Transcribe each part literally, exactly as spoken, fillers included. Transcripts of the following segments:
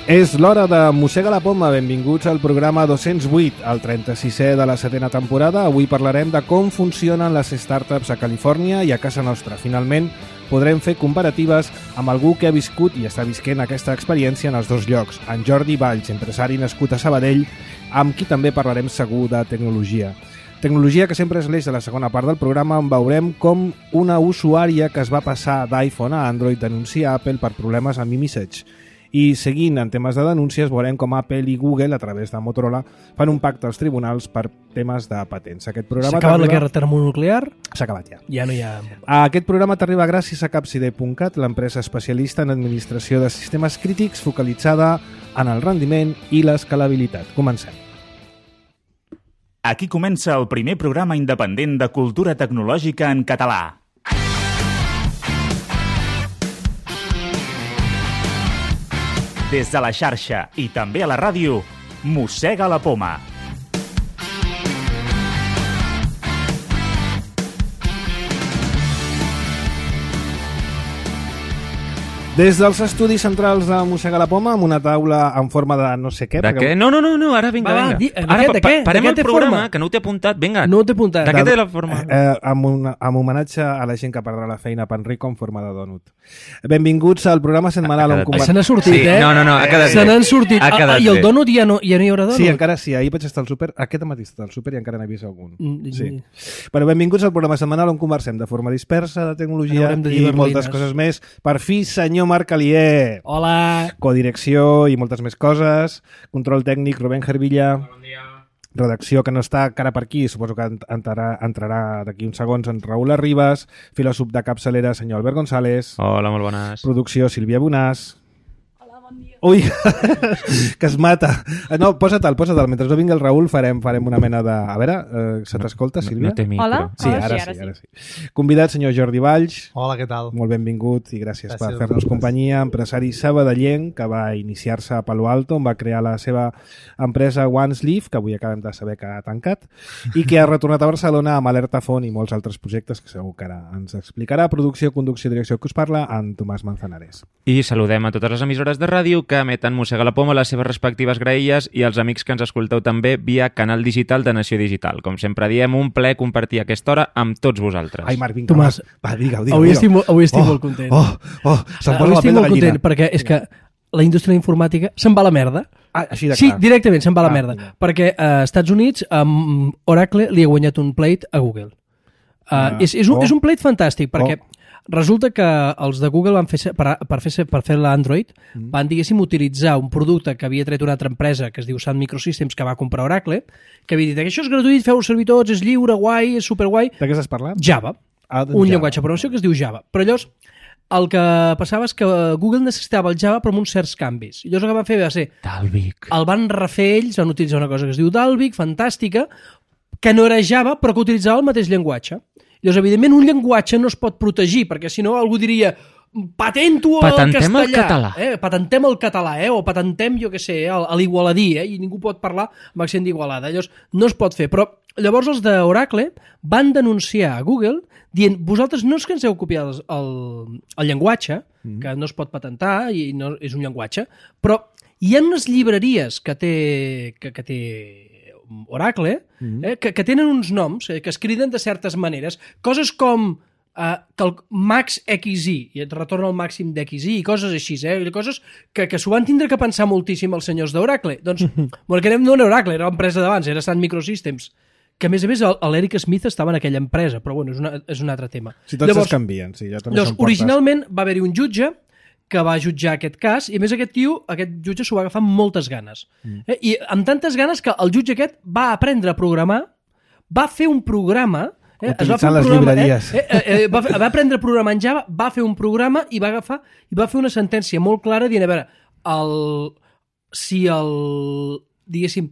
És l'hora de Mossega la Poma. Benvinguts al programa dos-cents vuit, el trenta-sisè de la setena temporada. Avui parlarem de com funcionen les startups a Califòrnia i a casa nostra. Finalment, podrem fer comparatives amb algú que ha viscut i està visquent aquesta experiència en els dos llocs. En Jordi Valls, empresari nascut a Sabadell, amb qui també parlarem segur de tecnologia. Tecnologia que sempre és l'eix de la segona part del programa, on veurem com una usuària que es va passar d'iPhone a Android denuncia Apple per problemes amb iMessage. I seguint en temes de denúncies veurem com Apple i Google, a través de Motorola, fan un pacte als tribunals per temes de patents. Aquest programa S'ha acabat la guerra termonuclear? S'ha acabat ja. Ja no hi ha... Aquest programa t'arriba gràcies a Capside punt cat, l'empresa especialista en administració de sistemes crítics focalitzada en el rendiment i l'escalabilitat. Comencem. Aquí comença el primer programa independent de cultura tecnològica en català. Des de la xarxa i també a la ràdio, Mossega la Poma. Des dels estudis centrals de Mossega la Poma, amb una taula en forma de no sé què... De perquè... què? No, no, no, no, ara vinga, Va, va, vinga. di- de Ara què, de pa- què? parem De què el té programa, forma? que no ho té apuntat, vinga. No ho té apuntat. De què De- té la forma? Eh, amb, una, amb homenatge a la gent que perdrà la feina a Panrico en forma de dònut. Benvinguts al programa setmanal on Ha quedat conver- Se n'ha sortit, Sí, eh? no, no, no, ha quedat Se bé. n'han sortit. Ha quedat Ah, I el bé. dònut ja no, ja no hi haurà dònut? Sí, encara sí. Ahir vaig estar al súper, aquest matí he estat al súper i encara n'he vist algun. Mm, Sí. mm. Bueno, benvinguts al programa setmanal on conversem de forma dispersa de tecnologia Haurem de dir i berlines. moltes coses més. Per fi, senyor Marc Alier. Hola. Codirecció i moltes més coses. Control tècnic, Rubén Gervilla. Bon dia. Redacció, que no està encara per aquí, suposo que entrarà, entrarà d'aquí uns segons, en Raül Arribas. Filòsof de capçalera, senyor Albert González. Hola, molt bones. Producció, Sílvia Bonàs. Ui, que es mata. No, posa-te'l, posa-te'l. Mentre no vingui el Raül farem, farem una mena de... A veure, eh, se t'escolta, Sílvia? No, no té micro. Hola? Sí, Hola, ara sí, ara sí, ara sí. Convidat, senyor Jordi Valls. Hola, què tal? Molt benvingut i gràcies, Gràcies per a fer-nos vosaltres. companyia. Empresari sabadellenc que va iniciar-se a Palo Alto, on va crear la seva empresa OneSleeve, que avui acabem de saber que ha tancat, i que ha retornat a Barcelona amb Alerta Font i molts altres projectes que segur que ara ens explicarà. Producció, conducció i direcció que us parla, en Tomàs Manzanares. I saludem a totes les emissores de ràdio que emeten Mossega la Poma, les seves respectives graelles, i els amics que ens escolteu també via canal digital de Nació Digital. Com sempre diem, un plaer compartir aquesta hora amb tots vosaltres. Ai, Marc, vinga, Tomàs, Marc. Va, digue-ho, digue-ho. Avui digue-ho. estic, mo- avui estic oh, molt content. Oh, oh, se'm posa Avui la estic pell de molt content gallina. perquè és que la indústria informàtica se'n va a la merda. Ah, així de Sí, clar. directament se'n va a la Ah, merda. vinga. Perquè a Estats Units amb Oracle li ha guanyat un plate a Google. Uh, Ah, és, és, un, oh. és un plate fantàstic perquè Oh. resulta que els de Google van fer, per, per fer, per fer l'Android Mm. van, diguéssim, utilitzar un producte que havia tret una altra empresa que es diu Sun Microsystems, que va comprar Oracle, que havia dit que això és gratuït, feu servir tots, és lliure, guai, és superguai. De què estàs parlant? Java. Ah, doncs Un Java. llenguatge de programació que es diu Java. Però llavors, el que passava és que Google necessitava el Java però amb uns certs canvis. I llavors el que van fer va ser, Dalvik. el van refer ells, van utilitzar una cosa que es diu Dalvik, fantàstica, que no era Java però que utilitzava el mateix llenguatge. Llavors, evidentment, un llenguatge no es pot protegir, perquè si no algú diria patento el Patentem el castellà. català. Eh? Patentem el català, eh? O patentem, jo què sé, eh? a l'igualadí, eh? I ningú pot parlar amb accent d'Igualada. Llavors, no es pot fer. Però llavors els d'Oracle van denunciar a Google dient, vosaltres no és que ens heu copiat el, el, el llenguatge, mm. que no es pot patentar i no és un llenguatge, però hi ha unes llibreries que té, que, que té Oracle, eh, que, que tenen uns noms eh, que es criden de certes maneres. Coses com eh, que el max X I, i et retorna el màxim d'X I, i coses així, eh? Coses que, que s'ho van tindre que pensar moltíssim els senyors d'Oracle. Doncs, bueno, que no era Oracle, era l'empresa d'abans, era Sun Microsystems, que a més a més l'Eric Smith estava en aquella empresa, però bueno, és, una, és un altre tema. Si tots es canvien, sí. Jo també Llavors, som portes. originalment va haver-hi un jutge que va jutjar aquest cas, i a més aquest tio, aquest jutge s'ho va agafar amb moltes ganes. Mm. Eh? I amb tantes ganes que el jutge aquest va aprendre a programar, va fer un programa... Eh? Es va fer Utilitzant un les programa, llibreries. Eh? Eh, eh, va, fer, va aprendre a programar en Java, va fer un programa i va agafar i va fer una sentència molt clara dient, a veure, el, si el, diguéssim,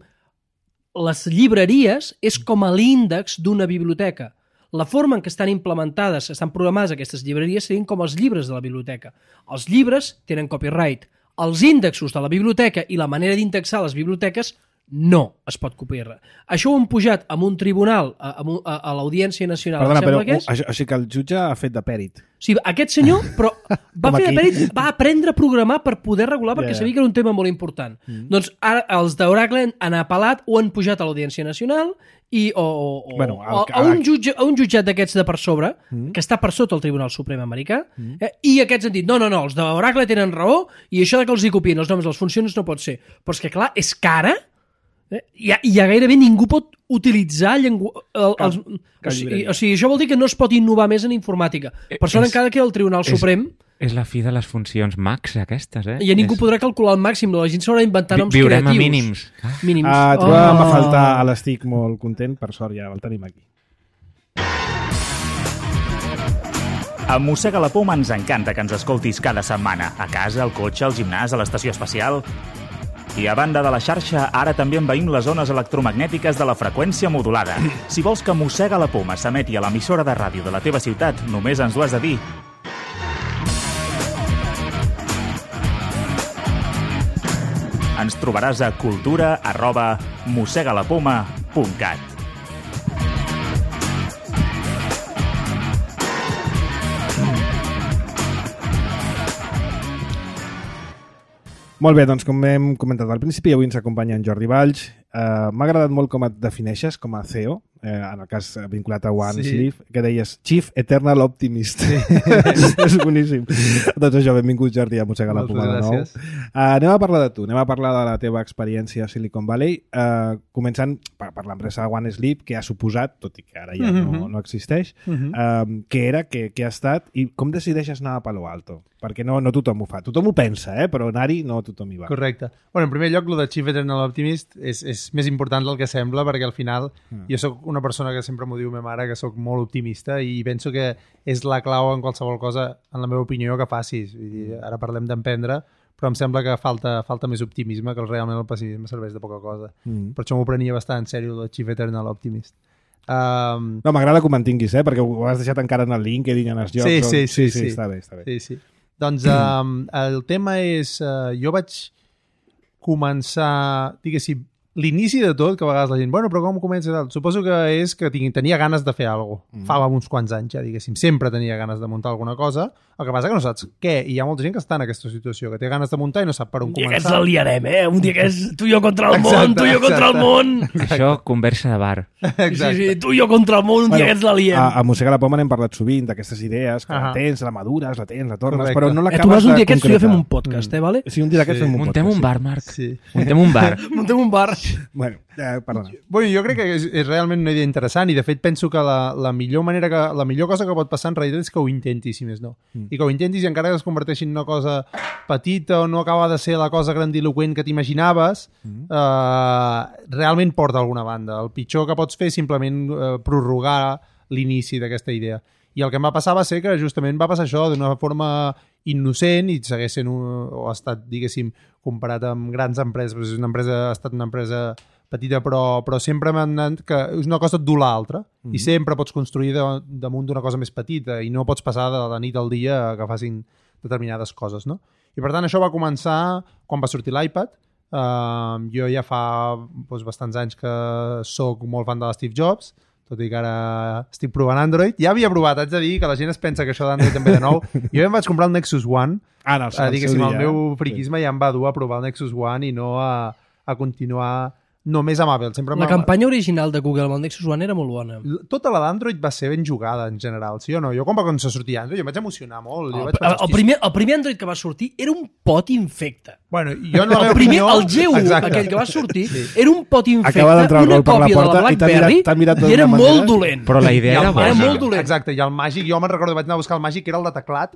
les llibreries és com a l'índex d'una biblioteca. La forma en què estan implementades, estan programades aquestes llibreries, serien com els llibres de la biblioteca. Els llibres tenen copyright. Els índexos de la biblioteca i la manera d'indexar les biblioteques No es pot copiar. Això ho han pujat amb un tribunal, a, a, a l'Audiència Nacional. Perdona, però que és. això, així que el jutge ha fet de pèrit. O sigui, aquest senyor però va fer de pèrit, va aprendre a programar per poder regular perquè Yeah. sabia que era un tema molt important. Mm. Doncs ara els d'Oracle han apel·lat o han pujat a l'Audiència Nacional i, o, o, Bueno, el- o, a, un jutge, a un jutjat d'aquests de per sobre, mm. que està per sota el Tribunal Suprem americà, mm. eh, i aquests han dit, no, no, no, els d'Oracle tenen raó i això de que els hi copien els noms dels funcions no pot ser. Però és que, clar, és que ara eh, ja, ja gairebé ningú pot utilitzar llengua... El, els, o, sigui, o sigui, això vol dir que no es pot innovar més en informàtica. Per això És- encara que el Tribunal és- Suprem És la fi de les funcions max, aquestes, eh? ja ningú és... podrà calcular el màxim, la gent s'haurà d'inventar noms Viurem creatius. a mínims. Ah. Mínims. Ah, trobàvem a faltar a l'Estic molt content, per sort ja el tenim aquí. A Mossega la Poma ens encanta que ens escoltis cada setmana, a casa, al cotxe, al gimnàs, a l'estació espacial. I a banda de la xarxa, ara també envaïm les zones electromagnètiques de la freqüència modulada. Si vols que Mossega la Poma s'emeti a l'emissora de ràdio de la teva ciutat, només ens ho has de dir. Ens trobaràs a cultura arroba mossegalapoma punt cat. Molt bé, doncs com hem comentat al principi, avui ens acompanya en Jordi Valls. Uh, M'ha agradat molt com et defineixes com a C E O, eh, en el cas vinculat a OneSleep, sí. que deies Chief Eternal Optimist. és, és boníssim. Doncs això, benvingut Jordi a Mossega la Poma de nou. Uh, anem a parlar de tu, anem a parlar de la teva experiència a Silicon Valley, uh, començant per, per l'empresa OneSleep, que ha suposat, tot i que ara ja Mm-hmm. no, no existeix, Mm-hmm. uh, què era, què, què ha estat, i com decideixes anar a Palo Alto? Perquè no, no tothom ho fa. Tothom ho pensa, eh? Però anar-hi no tothom hi va. Correcte. Bueno, en primer lloc, el de Chief Eternal Optimist és, és més important del que sembla, perquè al final mm. jo sóc una persona que sempre m'ho diu ma mare, que sóc molt optimista i penso que és la clau en qualsevol cosa, en la meva opinió, que facis. Vull dir, ara parlem d'emprendre, però em sembla que falta, falta més optimisme, que realment el pessimisme serveix de poca cosa. Mm. Per això m'ho prenia bastant en sèrio, el de Chief Eternal Optimist. Um... No, m'agrada que ho mantinguis, eh? Perquè ho has deixat encara en el LinkedIn, en els jocs. Sí, sí, sí, sí, sí, sí. Està bé, està bé. Sí, sí. Doncs um, el tema és... Uh, jo vaig començar, diguéssim, l'inici de tot, que a vegades la gent, bueno, però com comença tal? Suposo que és que tenia ganes de fer alguna cosa. Mm. Fa uns quants anys ja, diguéssim. Sempre tenia ganes de muntar alguna cosa. El que passa que no saps què. I hi ha molta gent que està en aquesta situació, que té ganes de muntar i no sap per on Un dia començar. que ens la liarem, eh? Un dia que és tu i jo contra el Exacte, món, tu i jo contra el exacte. món. Això, conversa de bar. Sí, sí, tu i jo contra el món, un Bueno, dia que ens la liem. A, a Mossega la Poma n'hem parlat sovint d'aquestes idees, que Ahà. la tens, la madures, la tens, la tornes, Correcte. però no Eh, tu l'acabes vas un de dia aquests, tu i jo concretar. fem un podcast, eh, vale? Sí, un dia d'aquests Sí. fem un Muntem podcast. un bar, Marc. Sí. Muntem un bar. Muntem un bar. Sí. Bueno, eh, perdona. Bueno, jo crec que és, és realment una idea interessant i de fet penso que la, la millor manera que, la millor cosa que pot passar en realitat és que ho intentis, si més no. Mm. I que ho intentis i encara que es converteixi en una cosa petita o no acaba de ser la cosa grandiloquent que t'imaginaves, mm. eh, realment porta a alguna banda. El pitjor que pots fer és simplement eh, prorrogar l'inici d'aquesta idea. I el que em va passar va ser que justament va passar això d'una forma innocent i segueix sent un, o ha estat, diguéssim, comparat amb grans empreses. És una empresa, ha estat una empresa petita, però, però sempre m'han anat que és una cosa et du l'altra. Mm-hmm. I sempre pots construir de, damunt d'una cosa més petita i no pots passar de la nit al dia a que facin determinades coses, no? I per tant això va començar quan va sortir l'iPad. Uh, jo ja fa doncs, bastants anys que sóc molt fan de l'Steve Jobs, tot i que ara estic provant Android. Ja havia provat, haig de dir que la gent es pensa que això d'Android també de nou. Jo em vaig comprar el Nexus One. Ah, no, Uh, diguéssim, el dia, meu eh? friquisme ja em va dur a provar el Nexus One i no a, a continuar només amb Apple. Sempre La m'ha- campanya original de Google amb el Nexus One era molt bona. Tota la d'Android va ser ben jugada en general, sí o no? Jo quan va començar a sortir Android jo em vaig emocionar molt. Jo El, vaig el, pensar, el, primer, el primer Android que va sortir era un pot infecte. Bueno, jo en la El meva primer, opinió... el G U, Exacte. aquell que va sortir, era un pot infecte, Acaba d'entrar el una gol per la còpia de porta la i t'ha mirat- BlackBerry t'ha mirat i era d'una molt manera. dolent. Però la idea I el era Era màgic, bona. molt dolent. Exacte, i el màgic, jo me'n recordo, vaig anar a buscar el màgic, que era el de teclat,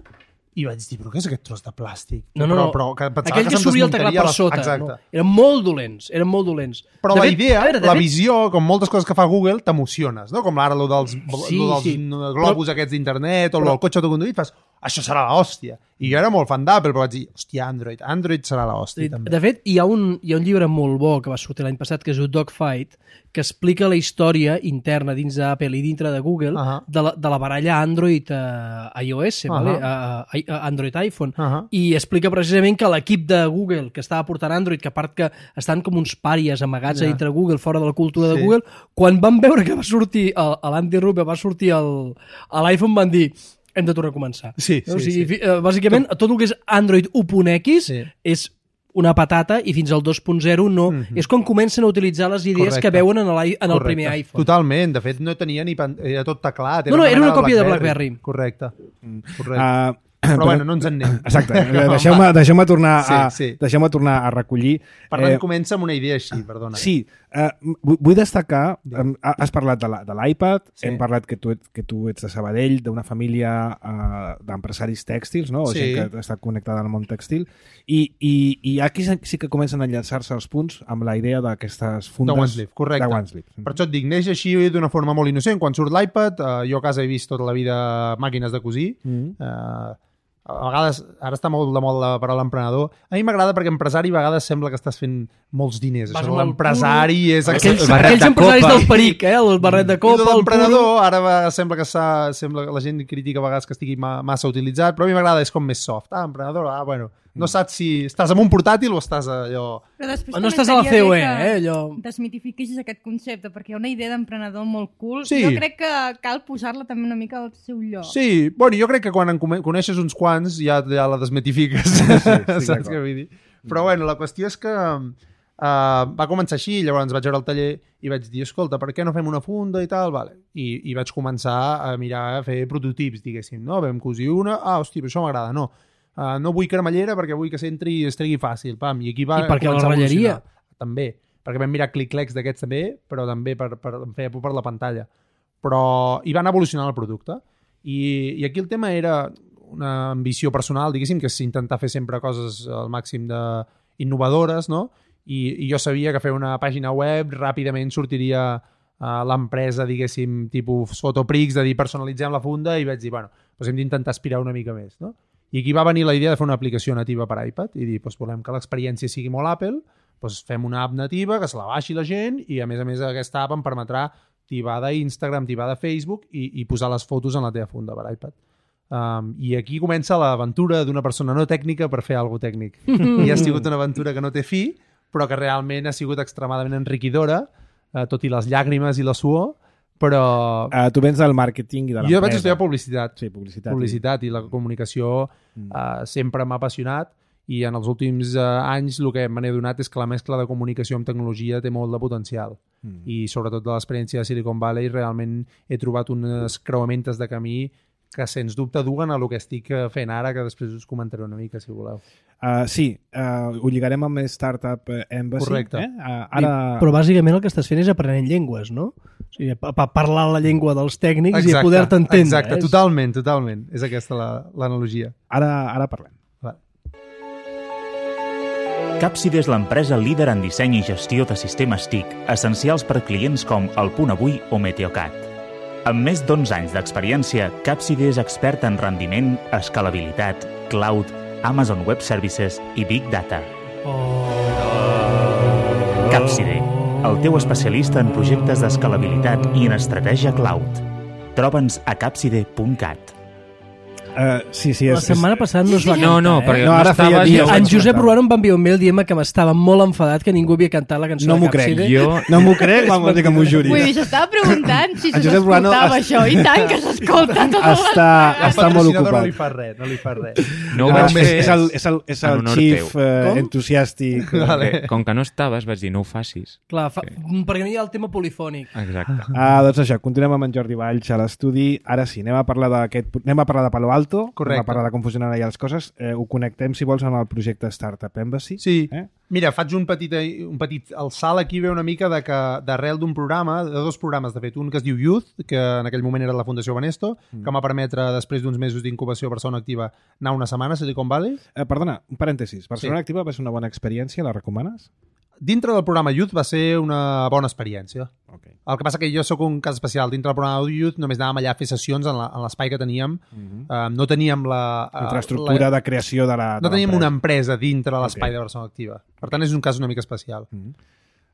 i vaig dir, però què és aquest tros de plàstic? No, no, però, no. però, que pensava Aquell que, se'm s'obria el teclat desmuntaria per la- sota. Exacte. No? Eren molt dolents, eren molt dolents. Però De la fet, idea, a veure, de la fet, visió, com moltes coses que fa Google, t'emociones, no? Com ara lo dels, Sí, lo dels sí. globus Però- aquests d'internet o però- lo del cotxe autoconduït, fas, això serà l'hòstia. I jo era molt fan d'Apple, però vaig dir, hòstia, Android, Android serà l'hòstia, també. De fet, hi ha, un, hi ha un llibre molt bo que va sortir l'any passat, que es diu Dogfight, que explica la història interna dins d'Apple i dintre de Google Ahà. de, la, de la baralla Android a iOS, Ahà. vale? a, a, Android iPhone, Uh -huh. i explica precisament que l'equip de Google que estava portant Android, que a part que estan com uns pàries amagats Ja. a dintre Google, fora de la cultura Sí. de Google, quan van veure que va sortir l'Andy Rubio, va sortir el- a l'iPhone, van dir hem de tornar a començar. Sí, o sí, sigui, sí. fi- eh, bàsicament, tot el que és Android u punt equis Sí. és una patata i fins al dos punt zero no. Mhm. És quan comencen a utilitzar les idees Correcte. que veuen en el, en el Correcte. primer iPhone. Totalment, de fet no tenia ni... Pan... Era tot teclat. No, no, era una còpia de BlackBerry. BlackBerry. Correcte. Correcte. Uh, Però bueno, no ens en anem. Exacte, deixeu-me deixeu tornar, Sí, a, sí. deixeu tornar a recollir. Per tant, comença amb una idea així, perdona. Sí, eh, vull vull destacar, eh, has parlat de la- de l'iPad, Sí. hem parlat que tu, ets- que tu ets de Sabadell, d'una família eh, d'empresaris tèxtils, no? O Sí. gent que està connectada al món tèxtil, i, i, i aquí sí que comencen a enllaçar-se els punts amb la idea d'aquestes fundes De OneSleeve, correcte. de OneSleeve. Per això et dic, neix així d'una forma molt innocent. Quan surt l'iPad, eh, jo a casa he vist tota la vida màquines de cosir. Mm. Eh, a vegades, ara està molt de moda la paraula emprenedor. A mi m'agrada perquè empresari a vegades sembla que estàs fent molts diners. Vas Això, amb el l'empresari és... Aquells, El barret aquells de empresaris copa. del peric, eh? El barret de I copa, el puro... l'emprenedor ara va, sembla que s'ha, sembla que la gent critica a vegades que estigui ma, massa utilitzat, però a mi m'agrada, és com més soft. Ah, emprenedor, ah, bueno, no saps si estàs amb un portàtil o estàs allò... Però després No també estàs a la estaria C O E, bé que eh, allò. desmitifiquis aquest concepte, perquè hi ha una idea d'emprenedor molt cool. Sí. Jo crec que cal posar-la també una mica al seu lloc. Sí, bueno, jo crec que quan en come- coneixes uns quants ja, ja la desmitifiques, sí, sí, saps d'acord. què vull dir? Però bueno, la qüestió és que uh, va començar així, llavors vaig veure el taller i vaig dir, escolta, per què no fem una funda i tal? Vale. I, i vaig començar a mirar, a fer prototips, diguéssim, no? Vam cosir una, ah, hòstia, això m'agrada, no. Uh, no vull cremallera perquè vull que s'entri i es tregui fàcil, pam, i aquí va I perquè la començar a ratlleria. evolucionar. També, perquè vam mirar clic-clecs d'aquests també, però també per, per, em feia por per la pantalla. Però hi van evolucionar el producte. I, i aquí el tema era una ambició personal, diguéssim, que és intentar fer sempre coses al màxim de innovadores, no? I, i jo sabia que fer una pàgina web ràpidament sortiria a l'empresa, diguéssim, tipus Fotoprix, de dir personalitzem la funda, i vaig dir, bueno, doncs hem d'intentar aspirar una mica més, no? I aquí va venir la idea de fer una aplicació nativa per iPad i dir, doncs volem que l'experiència sigui molt Apple, doncs fem una app nativa que se la baixi la gent i a més a més aquesta app em permetrà tibar d'Instagram, tibar de Facebook i, i posar les fotos en la teva funda per iPad. Um, I aquí comença l'aventura d'una persona no tècnica per fer alguna tècnic. I ha sigut una aventura que no té fi, però que realment ha sigut extremadament enriquidora, uh, tot i les llàgrimes i la suor, però... Uh, tu vens del màrqueting i de l'empresa. Jo vaig estudiar publicitat. Sí, publicitat. Publicitat i la comunicació uh, sempre m'ha apassionat i en els últims uh, anys el que me n'he donat és que la mescla de comunicació amb tecnologia té molt de potencial. Mm. I sobretot de l'experiència de Silicon Valley realment he trobat unes creuamentes de camí que sens dubte duguen a el que estic fent ara, que després us comentaré una mica, si voleu. Uh, sí, uh, ho lligarem amb Startup Embassy. Correcte. Eh? Uh, ara... Però bàsicament el que estàs fent és aprenent llengües, no? O sigui, pa- pa- parlar la llengua dels tècnics Exacte, i poder-te entendre. Exacte, eh? totalment, totalment. És aquesta la- l'analogia. Ara, ara parlem. Va. Capside és l'empresa líder en disseny i gestió de sistemes T I C, essencials per clients com El Punt Avui o Meteocat. Amb més d'onze anys d'experiència, Capside és expert en rendiment, escalabilitat, cloud, Amazon Web Services i Big Data. Capside, el teu especialista en projectes d'escalabilitat i en estratègia cloud. Troba'ns a capside punt cat. Uh, sí, sí, La és, setmana passada no es va No, cantar, no, eh? perquè No, no, ara feia estaves... dies. jo En vaig Josep cantar. Ruano em va enviar un mail dient que m'estava molt enfadat que ningú havia cantat la cançó No de m'ho crec. Capside. Jo... No m'ho crec, quan vol dir que m'ho juri. Vull dir, s'estava preguntant si En se Josep Ruano s'escoltava es- això. I tant que s'escolta tot el Està, està molt Patrocinador no li ocupat. fa res, no li fa res. No ho Ah, vaig és, fer és el, és el, és en el honor chief teu. uh, Com? entusiàstic. Vale. Com que, com que no estaves, vaig dir, no ho facis. Clar, fa... perquè no hi ha el tema polifònic. Exacte. Ah, doncs això, continuem amb en Jordi Valls a l'estudi. Ara sí, anem a parlar d'aquest, anem a parlar de Palo Alto, Correcte. anem a parlar de com funcionen allà les coses. Eh, ho connectem, si vols, amb el projecte Startup Embassy. Sí. Eh? Mira, faig un petit, un petit el salt aquí ve una mica de que d'arrel d'un programa, de dos programes, de fet, un que es diu Youth, que en aquell moment era de la Fundació Banesto, mm. que m'ha permetre, després d'uns mesos d'incubació a Barcelona Activa, anar una setmana a Silicon Valley. Eh, perdona, un parèntesis. Barcelona Sí. Activa va ser una bona experiència, la recomanes? Dintre del programa Youth va ser una bona experiència. Okay. El que passa que jo sóc un cas especial. Dintre del programa Youth només anàvem allà a fer sessions en la- en l'espai que teníem. Mm -hmm. Uh, no teníem la... uh, Infraestructura la, de creació de la... No de teníem l'empresa. una empresa dintre de l'espai Ok. de Barcelona Activa. Per tant, és un cas una mica especial. Mm -hmm.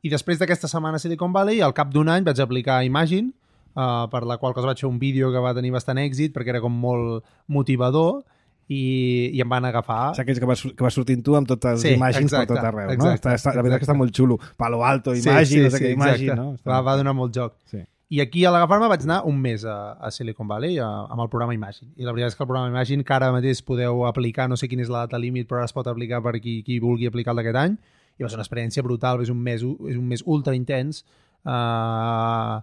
I després d'aquesta setmana a Silicon Valley, al cap d'un any vaig aplicar Imagine, uh, per la qual cosa vaig fer un vídeo que va tenir bastant èxit perquè era com molt motivador i, i em van agafar. O sigui, aquells que vas, que vas sortint tu amb totes les Sí, imatges exacte, per tot arreu, no? exacte, Està, està, la veritat exacte. que està molt xulo. Palo Alto, Sí, Imagine, sí, no sé sí, què, Imagine, exacte. no? Està... Va, va donar molt joc. Sí. I aquí a l'agafar-me vaig anar un mes a, a Silicon Valley a, amb el programa Imagine. I la veritat és que el programa Imagine, que ara mateix podeu aplicar, no sé quina és la data límit, però ara es pot aplicar per qui, qui vulgui aplicar el d'aquest any, i va ser una experiència brutal, és un mes, és un mes ultra intens. Uh,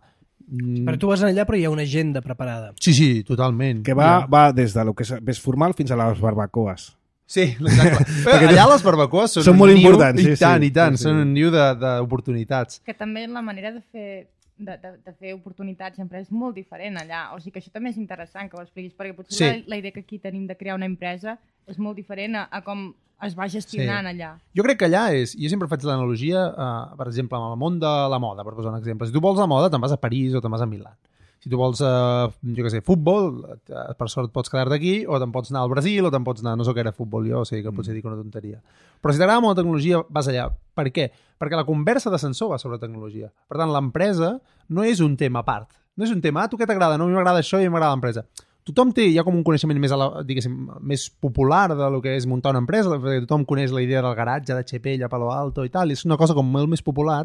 Però tu vas allà però hi ha una agenda preparada. Sí, sí, totalment. Que va, va des de lo que és més formal fins a les barbacoes. Sí, exacte. Però allà les barbacoes són, són molt un niu, importants, sí, i tant, sí, i tant, sí, sí. són un niu de- d'oportunitats. Que també la manera de fer de, de, de fer oportunitats sempre és molt diferent allà. O sigui que això també és interessant que ho expliquis, perquè potser Sí. la, la idea que aquí tenim de crear una empresa és molt diferent a, a com es va gestionant Sí. allà. Jo crec que allà és... Jo sempre faig l'analogia, uh, per exemple, amb el món de la moda, per posar un exemple. Si tu vols la moda, te'n vas a París o te'n vas a Milà. Si tu vols, uh, jo què sé, futbol, uh, per sort pots quedar-te aquí, o te'n pots anar al Brasil, o te'n pots anar... No sé què era futbol jo, o sigui que potser dic una tonteria. Però si t'agrada molt la tecnologia, vas allà. Per què? Perquè la conversa d'ascensor va sobre tecnologia. Per tant, l'empresa no és un tema a part. No és un tema, ah, tu què t'agrada? No, a mi m'agrada això i a mi m'agrada l'empresa. Tothom té, hi ha com un coneixement més, a la, diguéssim, més popular de lo que és muntar una empresa, perquè tothom coneix la idea del garatge de H P a Palo Alto i tal, i és una cosa com molt més popular,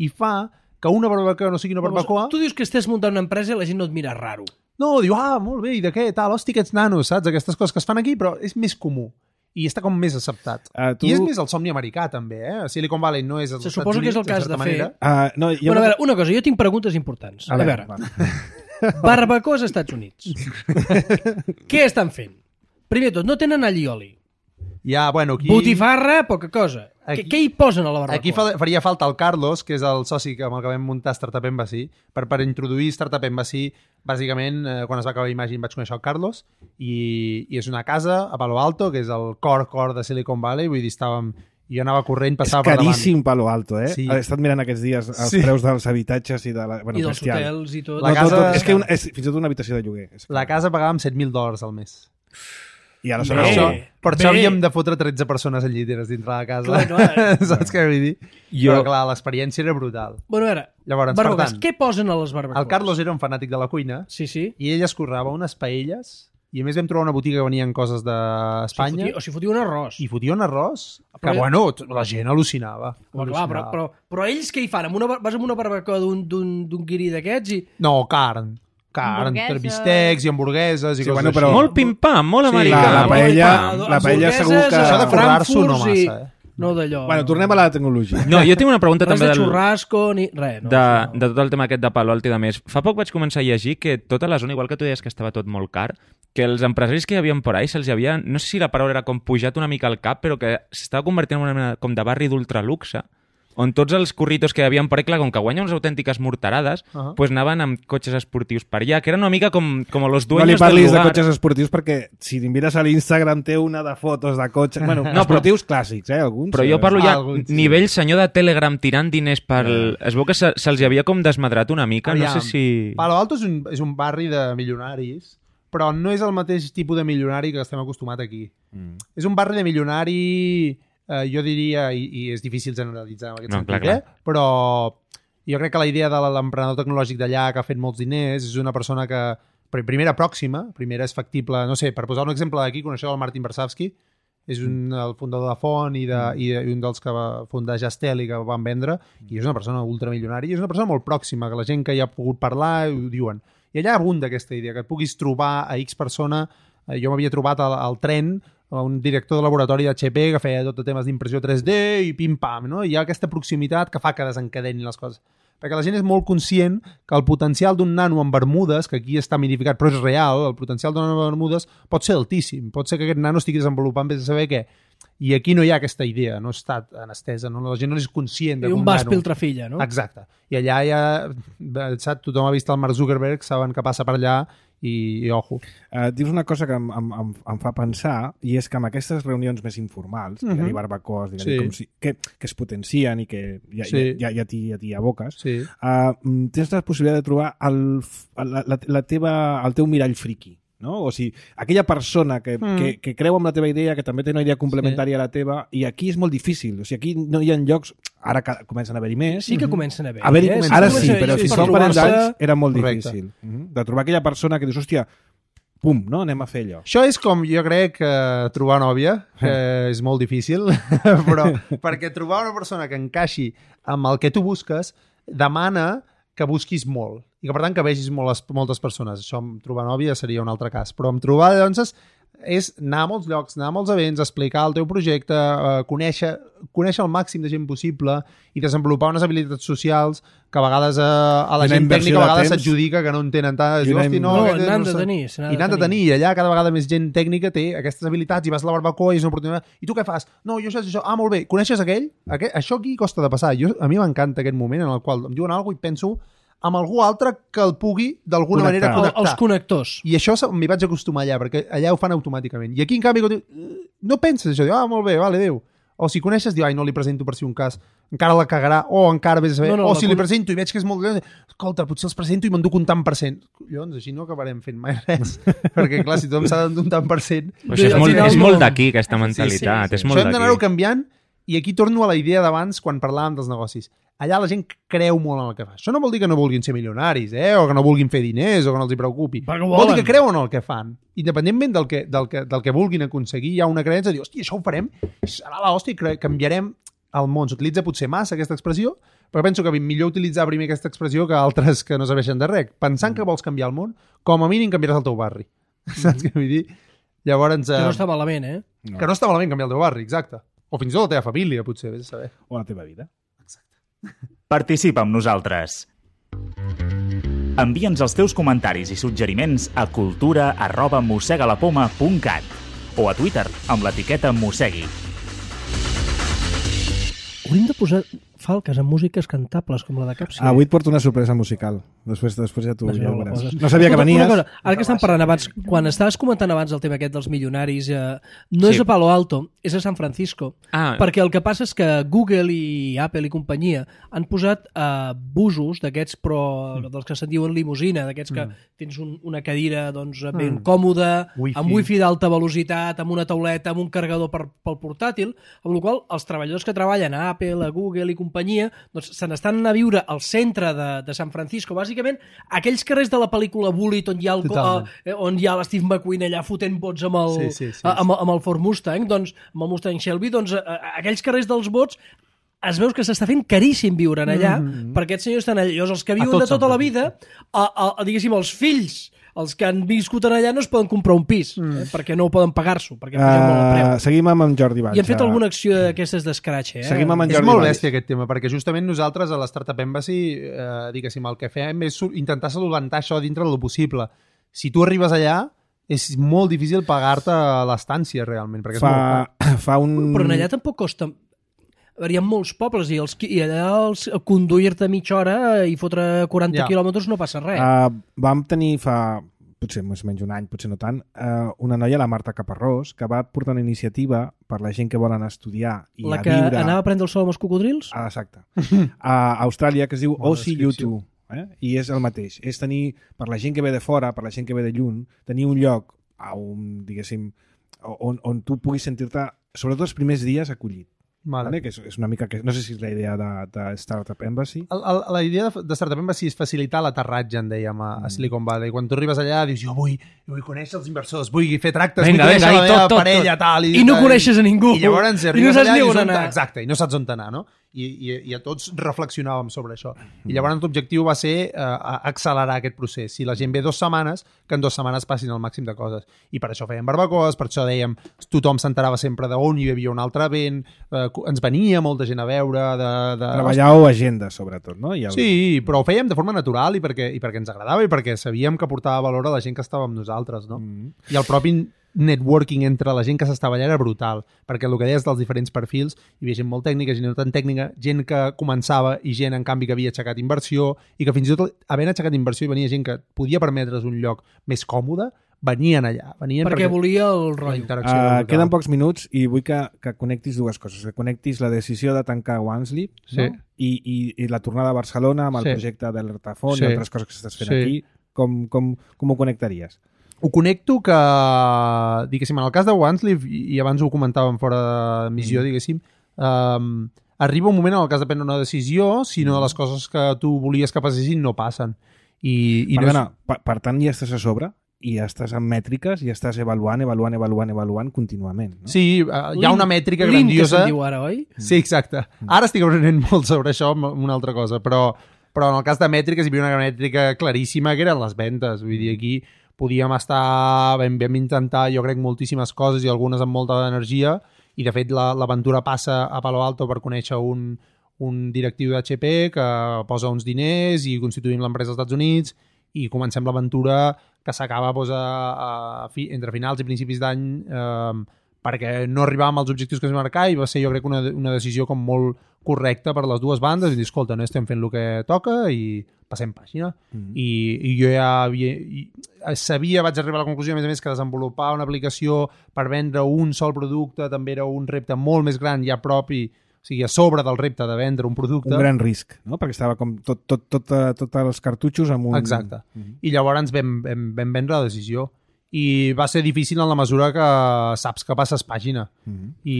i fa que una barbacoa no sigui una barbacoa... Tu dius que estàs muntant una empresa i la gent no et mira raro. No, diu, ah, molt bé, i de què, tal, hosti, aquests nanos, saps? Aquestes coses que es fan aquí, però és més comú. I està com més acceptat. Uh, tu... I és més el somni americà, també, eh? Silicon Valley no és... Se suposa que és el cas de fer... Uh, no, jo Bueno, a no... veure, una cosa, jo tinc preguntes importants. A A veure, veure, va. barbacoa als Estats Units. Què estan fent? Primer de tot, no tenen allioli. Ja, bueno, aquí... Botifarra, poca cosa. Aquí- Què, què hi posen a la barbacoa? Aquí fa, faria falta el Carlos, que és el soci que amb el que vam muntar Startup Embassy, per, per introduir Startup Embassy. Bàsicament, eh, quan es va acabar Imagine vaig conèixer el Carlos, i, i és una casa a Palo Alto, que és el cor, cor de Silicon Valley, vull dir, estàvem... Jo anava corrent, És passava per davant. caríssim Palo Alto, eh? Sí. He estat mirant aquests dies els Sí. preus dels habitatges i de la... Bueno, I dels bestial. hotels i tot. La No, casa- tot, tot, és que una, és fins i tot una habitació de lloguer. És que... La casa pagàvem set mil dòlars al mes. I Per aleshores... això, Bé, per això bé. havíem de fotre tretze persones en lliteres dintre la casa. Clar, clar. Saps què vull dir? Jo- Però clar, l'experiència era brutal. Bueno, a veure, Llavors, per barbacoes, tant, què posen a les barbacoes? el Carlos era un fanàtic de la cuina Sí, sí. i ell escorrava unes paelles i a més vam trobar una botiga que venien coses d'Espanya Si fotia, o si fotia un arròs. i fotia un arròs que, Però- bueno, t- la gent al·lucinava. Home, clar, però, però, però ells què hi fan? Amb una, bar- vas amb una barbacoa d'un- d'un d'un guirí d'aquests i... No, carn. Carn, Hamburgueses. bistecs i hamburgueses i Sí, coses bueno, així. però- Molt pim-pam, molt Sí, americà. la- la molt paella- pim-pam. la paella segur que- Això de forrar-s'ho no Frankfurts i- massa, eh? No d'allò. Bueno, tornem a la tecnologia. No, jo tinc una pregunta Res també de del, xurrasco ni... Res, no. de, això no. de tot el tema aquest de Palo Alto i de més. Fa poc vaig començar a llegir que tota la zona, igual que tu deies que estava tot molt car, que els empresaris que hi havia por ahí se'ls havia, no sé si la paraula era com pujat una mica al cap, però que s'estava convertint en una mena com de barri d'ultraluxe, on tots els curritos que hi havia per ahí, clar, com que guanyen unes autèntiques morterades, Uh -huh. pues anaven amb cotxes esportius per allà, que eren una mica com, com los No dueños li del parlis de lugar. cotxes esportius perquè si mires a l'Instagram té una de fotos de cotxes... Bueno, no, No, però- esportius clàssics, eh, alguns. Però jo parlo ja Alguns, sí. nivell senyor de Telegram tirant diners per... Es veu que se- se'ls havia com desmadrat una mica, Aviam, no sé si... Palo Alto és un, és un barri de milionaris, però no és el mateix tipus de milionari que estem acostumat aquí. Mm. És un barri de milionari, eh, jo diria, i, i és difícil generalitzar en aquest No, sentit, clar, clar. eh? però jo crec que la idea de l'emprenedor tecnològic d'allà que ha fet molts diners és una persona que, pri- primera, pròxima, primera és factible, no sé, per posar un exemple d'aquí, coneixeu el Martin Bersavsky, és un, el fundador de Font i, de, i, de, i un dels que va fundar Jastel i que van vendre, i és una persona ultramilionària, i és una persona molt pròxima, que la gent que hi ha pogut parlar ho diuen. I allà abunda aquesta idea, que et puguis trobar a X persona. Eh, jo m'havia trobat al, al tren a un director de laboratori d'H P que feia tot de temes d'impressió tres D i pim-pam, no? I hi ha aquesta proximitat que fa que desencadenin les coses. Perquè la gent és molt conscient que el potencial d'un nano en Bermudes, que aquí està minificat, però és real, el potencial d'un nano en Bermudes pot ser altíssim. Pot ser que aquest nano estigui desenvolupant vés a saber què. I aquí no hi ha aquesta idea, no està en estesa, no? La gent no és conscient de I que un un vas nano... piltrafilla, no? Exacte. I allà ja, saps, tothom ha vist el Mark Zuckerberg, saben que passa per allà i, i ojo. Uh, dius una cosa que em, em, em, em fa pensar, i és que amb aquestes reunions més informals, digue-li Mhm. barbacoes, digue-li Sí. com si, que, que es potencien i que ja, Sí. ja, ja, ja t'hi ja t'hi aboques, Sí. uh, tens la possibilitat de trobar el, f- la, la, la teva, el teu mirall friqui, no? O sigui, aquella persona que, Mm. que, que creu en la teva idea, que també té una idea complementària a la teva, i aquí és molt difícil. O sigui, aquí no hi ha llocs... Ara que comencen a haver-hi més. Sí que comencen a haver. A veure, eh? ara que sí, comencen a però haver-hi fins per fa un parell trobar-se- d'anys era molt Correcte. difícil. Mhm. De trobar aquella persona que dius, hòstia, pum, no? Anem a fer allò. Això és com, jo crec, eh, trobar nòvia, que és molt difícil, però perquè trobar una persona que encaixi amb el que tu busques demana que busquis molt i que, per tant, que vegis moltes, moltes persones. Això amb trobar nòvia seria un altre cas. Però amb trobar, doncs, és anar a molts llocs, anar a molts events, explicar el teu projecte, eh, conèixer, conèixer el màxim de gent possible i desenvolupar unes habilitats socials que a vegades eh, a la gent tècnica a vegades s'adjudica que no en tenen tant. Diu, hosti, no, no, aquest, n'han no de sé. tenir. I n'han de tenir. I allà cada vegada més gent tècnica té aquestes habilitats i vas a la barbacoa i és una oportunitat. I tu què fas? No, jo això, això. Ah, molt bé. Coneixes aquell? Aquest? Això aquí costa de passar. Jo, a mi m'encanta aquest moment en el qual em diuen alguna cosa i penso amb algú altre que el pugui d'alguna manera connectar. Els connectors. I això m'hi vaig acostumar allà, perquè allà ho fan automàticament. I aquí, en canvi, no penses això. Diu, ah, molt bé, vale, adéu. O si coneixes, diu, ai, no li presento per si un cas. Encara la cagarà, o encara vés a saber. No, no, o si li presento i veig que és molt... Escolta, potser els presento i m'enduc un tant per cent. Collons, així no acabarem fent mai res. Perquè, clar, si tothom s'ha d'endur un tant per cent... Això és molt, és molt d'aquí, aquesta mentalitat. Sí, sí, sí. És molt Això hem d'anar-ho canviant. I aquí torno a la idea d'abans quan parlàvem dels negocis. Allà la gent creu molt en el que fa. Això no vol dir que no vulguin ser milionaris, eh? O que no vulguin fer diners, o que no els hi preocupi. Vol dir que creuen en el que fan. Independentment del que, del que, del que vulguin aconseguir, hi ha una creença de dir, hòstia, això ho farem, serà l'hòstia i canviarem el món. S'utilitza potser massa aquesta expressió, però penso que millor utilitzar primer aquesta expressió que altres que no serveixen de res. Pensant que vols canviar el món, com a mínim canviaràs el teu barri. Saps què vull dir? Llavors... Que no està malament, eh? No. Que no està malament canviar el teu barri, exacte. O fins i tot la teva família, potser, vés a saber. O la teva vida. Exacte. Participa amb nosaltres. Envia'ns els teus comentaris i suggeriments a cultura arroba mossegalapoma punt cat o a Twitter amb l'etiqueta mossegui. Hauríem de posar falques amb músiques cantables com la de Capsi. Ah, avui et porto una sorpresa musical. Després, després ja t'ho Pues ja no, ho veuràs. poses. No sabia que Una venies. cosa, ara que estan parlant abans, quan estaves comentant abans el tema aquest dels milionaris, eh, no Sí. és a Palo Alto, és a San Francisco. Ah. Perquè el que passa és que Google i Apple i companyia han posat eh, busos d'aquests, però Mm. dels que se'n diuen limusina, d'aquests que Mm. tens un, una cadira doncs, ben Mm. còmoda, Wifi. amb wifi d'alta velocitat, amb una tauleta, amb un carregador per, pel portàtil, amb la qual cosa els treballadors que treballen a Apple, a Google i companyia, doncs se n'estan a viure al centre de, de San Francisco. Bàsicament, aquells carrers de la pel·lícula Bullitt on hi ha, el, Totalment. eh, on hi ha l'Steve McQueen allà fotent bots amb el, Sí, sí, sí, a- amb, amb el Ford Mustang, doncs, amb el Mustang Shelby, doncs, eh, aquells carrers dels bots es veus que s'està fent caríssim viure en allà, Mm-hmm. perquè aquests senyors estan allà. Llavors, els que viuen tot de tota San la vida, a, a, a, diguéssim, els fills, els que han viscut en allà no es poden comprar un pis, Mm. eh, perquè no ho poden pagar-s'ho, perquè pugen molt el Uh, preu. seguim amb en Jordi Batxa. I han fet alguna acció d'aquestes d'escratx, eh? Seguim amb en És Jordi molt Valls. bèstia aquest tema, perquè justament nosaltres a l'Startup Embassy, eh, diguéssim, el que fem és intentar solventar això dintre del possible. Si tu arribes allà, és molt difícil pagar-te l'estància, realment, perquè és molt Fa, car. fa un... Però en allà tampoc costa... A veure, hi ha molts pobles i, els, i allà els, conduir-te mitja hora i fotre quaranta Ja. quilòmetres no passa res. Uh, vam tenir fa potser més o menys un any, potser no tant, uh, una noia, la Marta Caparrós, que va portar una iniciativa per la gent que volen estudiar i La a que viure... anava a prendre el sol amb els cocodrils? Ah, exacte. A Austràlia, que es diu Bona O C U descripció. dos. Eh? I és el mateix. És tenir, per la gent que ve de fora, per la gent que ve de lluny, tenir un lloc a un, diguéssim, on, on tu puguis sentir-te, sobretot els primers dies, acollit. Vale. Vale? Que és, és una mica que, no sé si és la idea de, de Startup Embassy. El, el, la idea de, de Startup Embassy és facilitar l'aterratge, en dèiem, a, a Silicon Valley. Quan tu arribes allà, dius, jo vull, jo vull conèixer els inversors, vull fer tractes, Vinga, vull conèixer vinga, la i meva tot, tot, parella, tot. tal. I no coneixes a ningú. I llavors I no arribes saps allà ni i on dius, on anar. exacte, i no saps on anar, no? I, i, i a tots reflexionàvem sobre això. I llavors l'objectiu va ser eh, accelerar aquest procés. Si la gent ve dues setmanes, que en dues setmanes passin el màxim de coses. I per això fèiem barbacoes, per això dèiem, tothom s'enterava sempre d'on hi havia un altre event, eh, ens venia molta gent a veure, de... de... Treballàveu agenda, sobretot, no? I el... Sí, però ho fèiem de forma natural i perquè, i perquè ens agradava i perquè sabíem que portava valor a la gent que estava amb nosaltres, no? Mm. I el propi networking entre la gent que s'estava allà era brutal, perquè el que deies dels diferents perfils, hi havia gent molt tècnica, gent no tan tècnica, gent que començava i gent, en canvi, que havia aixecat inversió i que fins i tot, havent aixecat inversió, i venia gent que podia permetre's un lloc més còmode, venien allà. Venien Perquè volia el la rotllo. interacció era Uh, brutal. queden pocs minuts i vull que, que connectis dues coses. Que connectis la decisió de tancar OneSleep, Sí. no? I, i, i la tornada a Barcelona amb el Sí. projecte d'Alertafont Sí. i altres coses que estàs fent Sí. aquí. Com, com, com ho connectaries? Ho connecto que, diguéssim, en el cas de OneSleep, i abans ho comentàvem fora de missió, Mm. diguéssim, um, arriba un moment en el cas de prendre una decisió, si no les coses que tu volies que passessin no passen. I, i no és... Perdona, per, per tant ja estàs a sobre i ja estàs amb mètriques i estàs avaluant, avaluant, avaluant, avaluant contínuament. No? Sí, uh, hi ha una mètrica Link, grandiosa. que se'n diu ara, oi? Sí, exacte. Ara estic aprenent molt sobre això, amb una altra cosa, però, però en el cas de mètriques hi havia una mètrica claríssima que eren les ventes. Vull dir, aquí podíem estar, vam, vam intentar, jo crec, moltíssimes coses i algunes amb molta energia, i de fet l'aventura la, passa a Palo Alto per conèixer un, un directiu d'H P que posa uns diners i constituïm l'empresa als Estats Units i comencem l'aventura que s'acaba doncs, a, a fi, entre finals i principis d'any eh, perquè no arribàvem als objectius que es marcar i va ser, jo crec, una, una decisió com molt correcta per les dues bandes i dir, escolta, no estem fent el que toca i passem pàgina. Mm-hmm. I, i jo ja havia, i sabia, vaig arribar a la conclusió, a més a més, que desenvolupar una aplicació per vendre un sol producte també era un repte molt més gran ja propi, o sigui, a sobre del repte de vendre un producte. Un gran risc, no? Perquè estava com tot, tot, tot, tot els cartutxos amb un... Exacte. Mm-hmm. I llavors vam, vam, vam vendre la decisió. I va ser difícil en la mesura que saps que passes pàgina. Mm-hmm. I,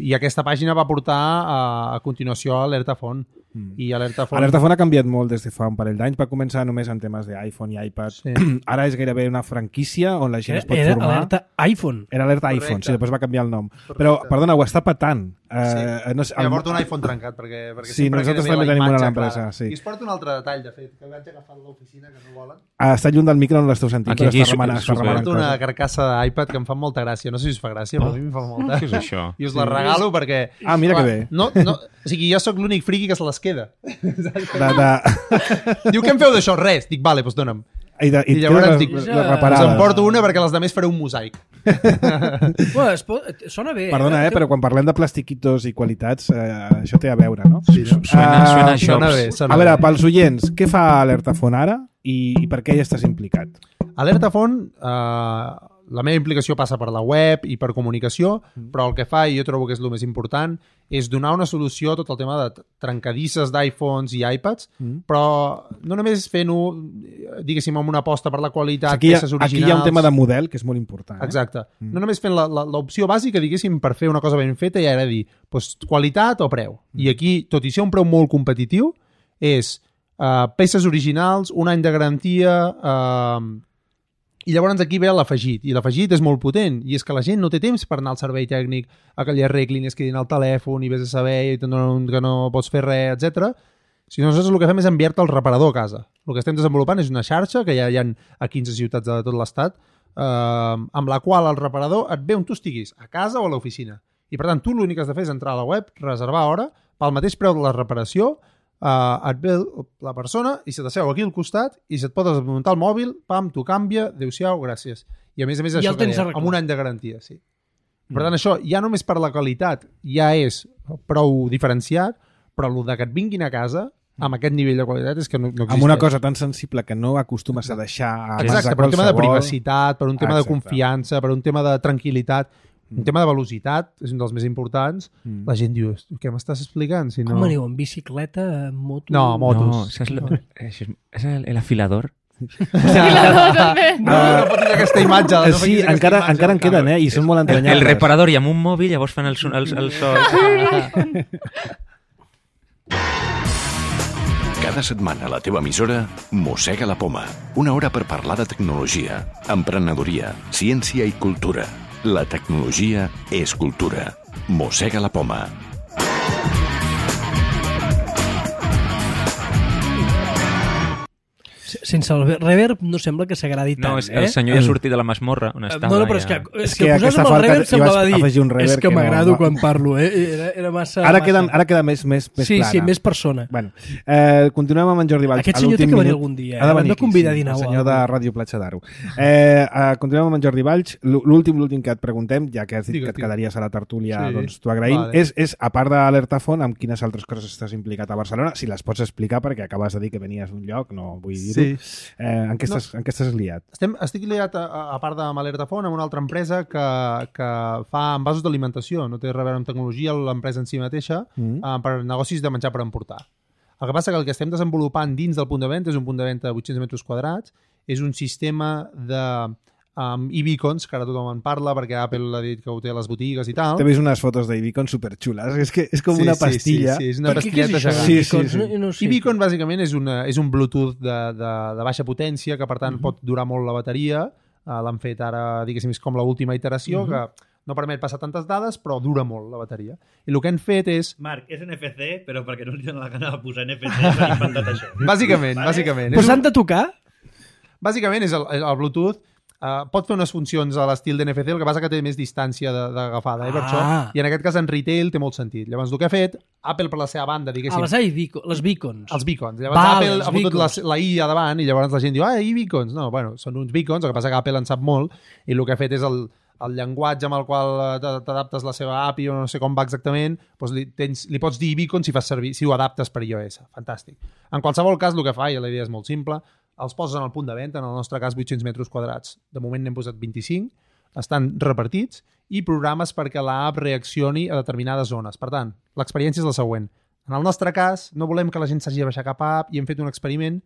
i aquesta pàgina va portar a, a continuació a Alerta Font. Mm. I Alerta Font... Alerta Font ha canviat molt des de fa un parell d'anys. Va començar només en temes d'iPhone i iPad. Sí. Ara és gairebé una franquícia on la gent era, es pot era formar. Era Alerta iPhone. Era Alerta Correcte. iPhone, sí, després va canviar el nom. Correcte. Però, perdona, ho està patant. Sí. Uh, no sé, el... el... porto un iPhone trencat perquè, perquè sí, nosaltres també tenim una a l'empresa. Sí. I es porta un altre detall, de fet, que vaig agafar a l'oficina que no volen. Ah, està lluny del micro on l'esteu sentint, aquí, però aquí, està remenant, està remenant porto una carcassa d'iPad que em fa molta gràcia. No sé si us fa gràcia, però a mi em fa molta. Què és això? I us la regalo perquè... Ah, mira que bé. No, no, o sigui, jo sóc l'únic friqui que se les queda. De, de... Diu, què em feu d'això? Res. Dic, vale, doncs dona'm. I, de, i, I llavors les, dic, les us reparades. en porto una perquè les demés faré un mosaic. Bueno, es pot... Sona bé. Perdona, eh, però quan parlem de plastiquitos i qualitats, eh, això té a veure, no? Sí, no? Suena, Ah, suena a Sona shops. bé, sona A veure, bé. pels oients, què fa Alerta Font ara i, i per què hi estàs implicat? Alerta Font, eh, la meva implicació passa per la web i per comunicació, però el que fa, i jo trobo que és el més important, és donar una solució a tot el tema de trencadisses d'iPhones i iPads, mm. però no només fent-ho, diguéssim, amb una aposta per la qualitat, Aquí hi, ha, peces originals... aquí hi ha un tema de model que és molt important. Eh? Exacte. Mm. No només fent l'opció bàsica, diguéssim, per fer una cosa ben feta, i ara dir, doncs, qualitat o preu. Mm. I aquí, tot i ser un preu molt competitiu, és uh, peces originals, un any de garantia... Uh, I llavors aquí ve l'afegit, i l'afegit és molt potent, i és que la gent no té temps per anar al servei tècnic a que li arreglin, es quedin al telèfon i vés a saber i no, que no pots fer res, etcètera. Si no, nosaltres el que fem és enviar-te el reparador a casa. El que estem desenvolupant és una xarxa que ja hi ha a quinze ciutats de tot l'estat, eh, amb la qual el reparador et ve on tu estiguis, a casa o a l'oficina. I per tant, tu l'únic que has de fer és entrar a la web, reservar hora, pel mateix preu de la reparació, Uh, et ve la persona i se t'asseu aquí al costat i se't pot desmuntar el mòbil, pam, t'ho canvia, adéu-siau, gràcies. I a més a més I això el tens que deia, arreglat. amb un any de garantia, sí. Mm. Per tant, això ja només per la qualitat ja és prou diferenciat, però el de que et vinguin a casa amb aquest nivell de qualitat és que no, no existeix. Amb una cosa tan sensible que no acostumes a deixar a Exacte, per un tema de privacitat, per un tema Exacte. de confiança, per un tema de tranquil·litat, un tema de velocitat, és un dels més importants. Mm. La gent diu, què m'estàs explicant? Si no... Com aneu, en bicicleta, en moto? No, motos. No, ¿sabes lo- es, es el, el afilador. també. No, no pot dir aquesta imatge. Eh, No sí, fiquis aquesta encara, imatge encara al en queden, cap. eh? I són molt El, entranyables. el reparador i amb un mòbil llavors fan el, son- el, el so. Cada setmana a la teva emissora Mossega la Poma. Una hora per parlar de tecnologia, emprenedoria, ciència i cultura. La tecnologia és cultura. Mossega la Poma. Sense el reverb no sembla que s'agradi tant, No, és, eh? el senyor ja ha sortit de la masmorra on estava. No, no, però és que, ja. és És que, que posar aquesta amb el falta reverb hi semblava vas dir afegir un reverb és que que no- m'agrado no. quan parlo, eh? Era, era massa... Ara massa. queda, ara queda més, més, més Sí, plana. sí, més persona. Bueno, eh, continuem amb en Jordi Valls. Aquest A senyor té l'últim que venir minut- algun dia, eh? Ha de L'hem venir de aquí, convidar a sí, dinar el o senyor de alguna Ràdio Platja d'Aro. Eh, eh, continuem amb en Jordi Valls. L'últim, l'últim que et preguntem, ja que has dit Digues, que et digues. quedaries a la tertúlia, Sí. doncs t'ho agraïm, Vale. és, és, a part d'Alerta Font, amb quines altres coses estàs implicat a Barcelona? Si les pots explicar, perquè acabes de dir que venies d'un lloc, no vull dir-ho. Sí. Eh, en, què estàs, en què estàs liat? Estem, estic liat, a, a part de Alerta Font, amb una altra empresa que, que fa envasos d'alimentació. No té res a veure amb tecnologia, l'empresa en si mateixa, Mm. eh, per negocis de menjar per emportar. El que passa que el que estem desenvolupant dins del punt de venda és un punt de venda de vuit-cents metres quadrats, és un sistema de um, e-beacons, que ara tothom en parla perquè Apple ha dit que ho té a les botigues i tal. T'he vist unes fotos d'Ibicon superxules. És que és com Sí, una sí, pastilla. Sí, sí, és una Per què, què és pastilleta això? gegant. Sí, sí, Icons? sí. No, no ho sé. E-beacon bàsicament és, una, és un Bluetooth de, de, de baixa potència que per tant uh -huh. pot durar molt la bateria, Uh, l'han fet ara, diguéssim, és com l'última iteració, uh-huh. que no permet passar tantes dades, però dura molt la bateria. I el que han fet és... Marc, és N F C, però perquè no li dona la gana de posar N F C, s'han inventat això. Bàsicament, vale? bàsicament. Però s'han de tocar? Bàsicament és el, el Bluetooth. Uh, pot fer unes funcions a l'estil d'N F C, el que passa que té més distància d'agafada, eh, per Ah. això. I en aquest cas en retail té molt sentit. Llavors el que ha fet, Apple per la seva banda, diguéssim... Ah, les, beacon, les beacons. Els beacons. Llavors Val, Apple els ha fotut la, beacons. la I a davant i llavors la gent diu, ah, i beacons. No, bueno, són uns beacons, el que passa que Apple en sap molt i el que ha fet és el, el llenguatge amb el qual t'adaptes la seva A P I o no sé com va exactament, doncs li, tens, li pots dir beacon si fas servir, si ho adaptes per iOS. Fantàstic. En qualsevol cas, el que fa, i la idea és molt simple, els poses en el punt de venda, en el nostre cas vuit-cents metres quadrats. De moment n'hem posat vint-i-cinc, estan repartits i programes perquè l'app reaccioni a determinades zones. Per tant, l'experiència és la següent. En el nostre cas, no volem que la gent s'hagi de baixar cap app i hem fet un experiment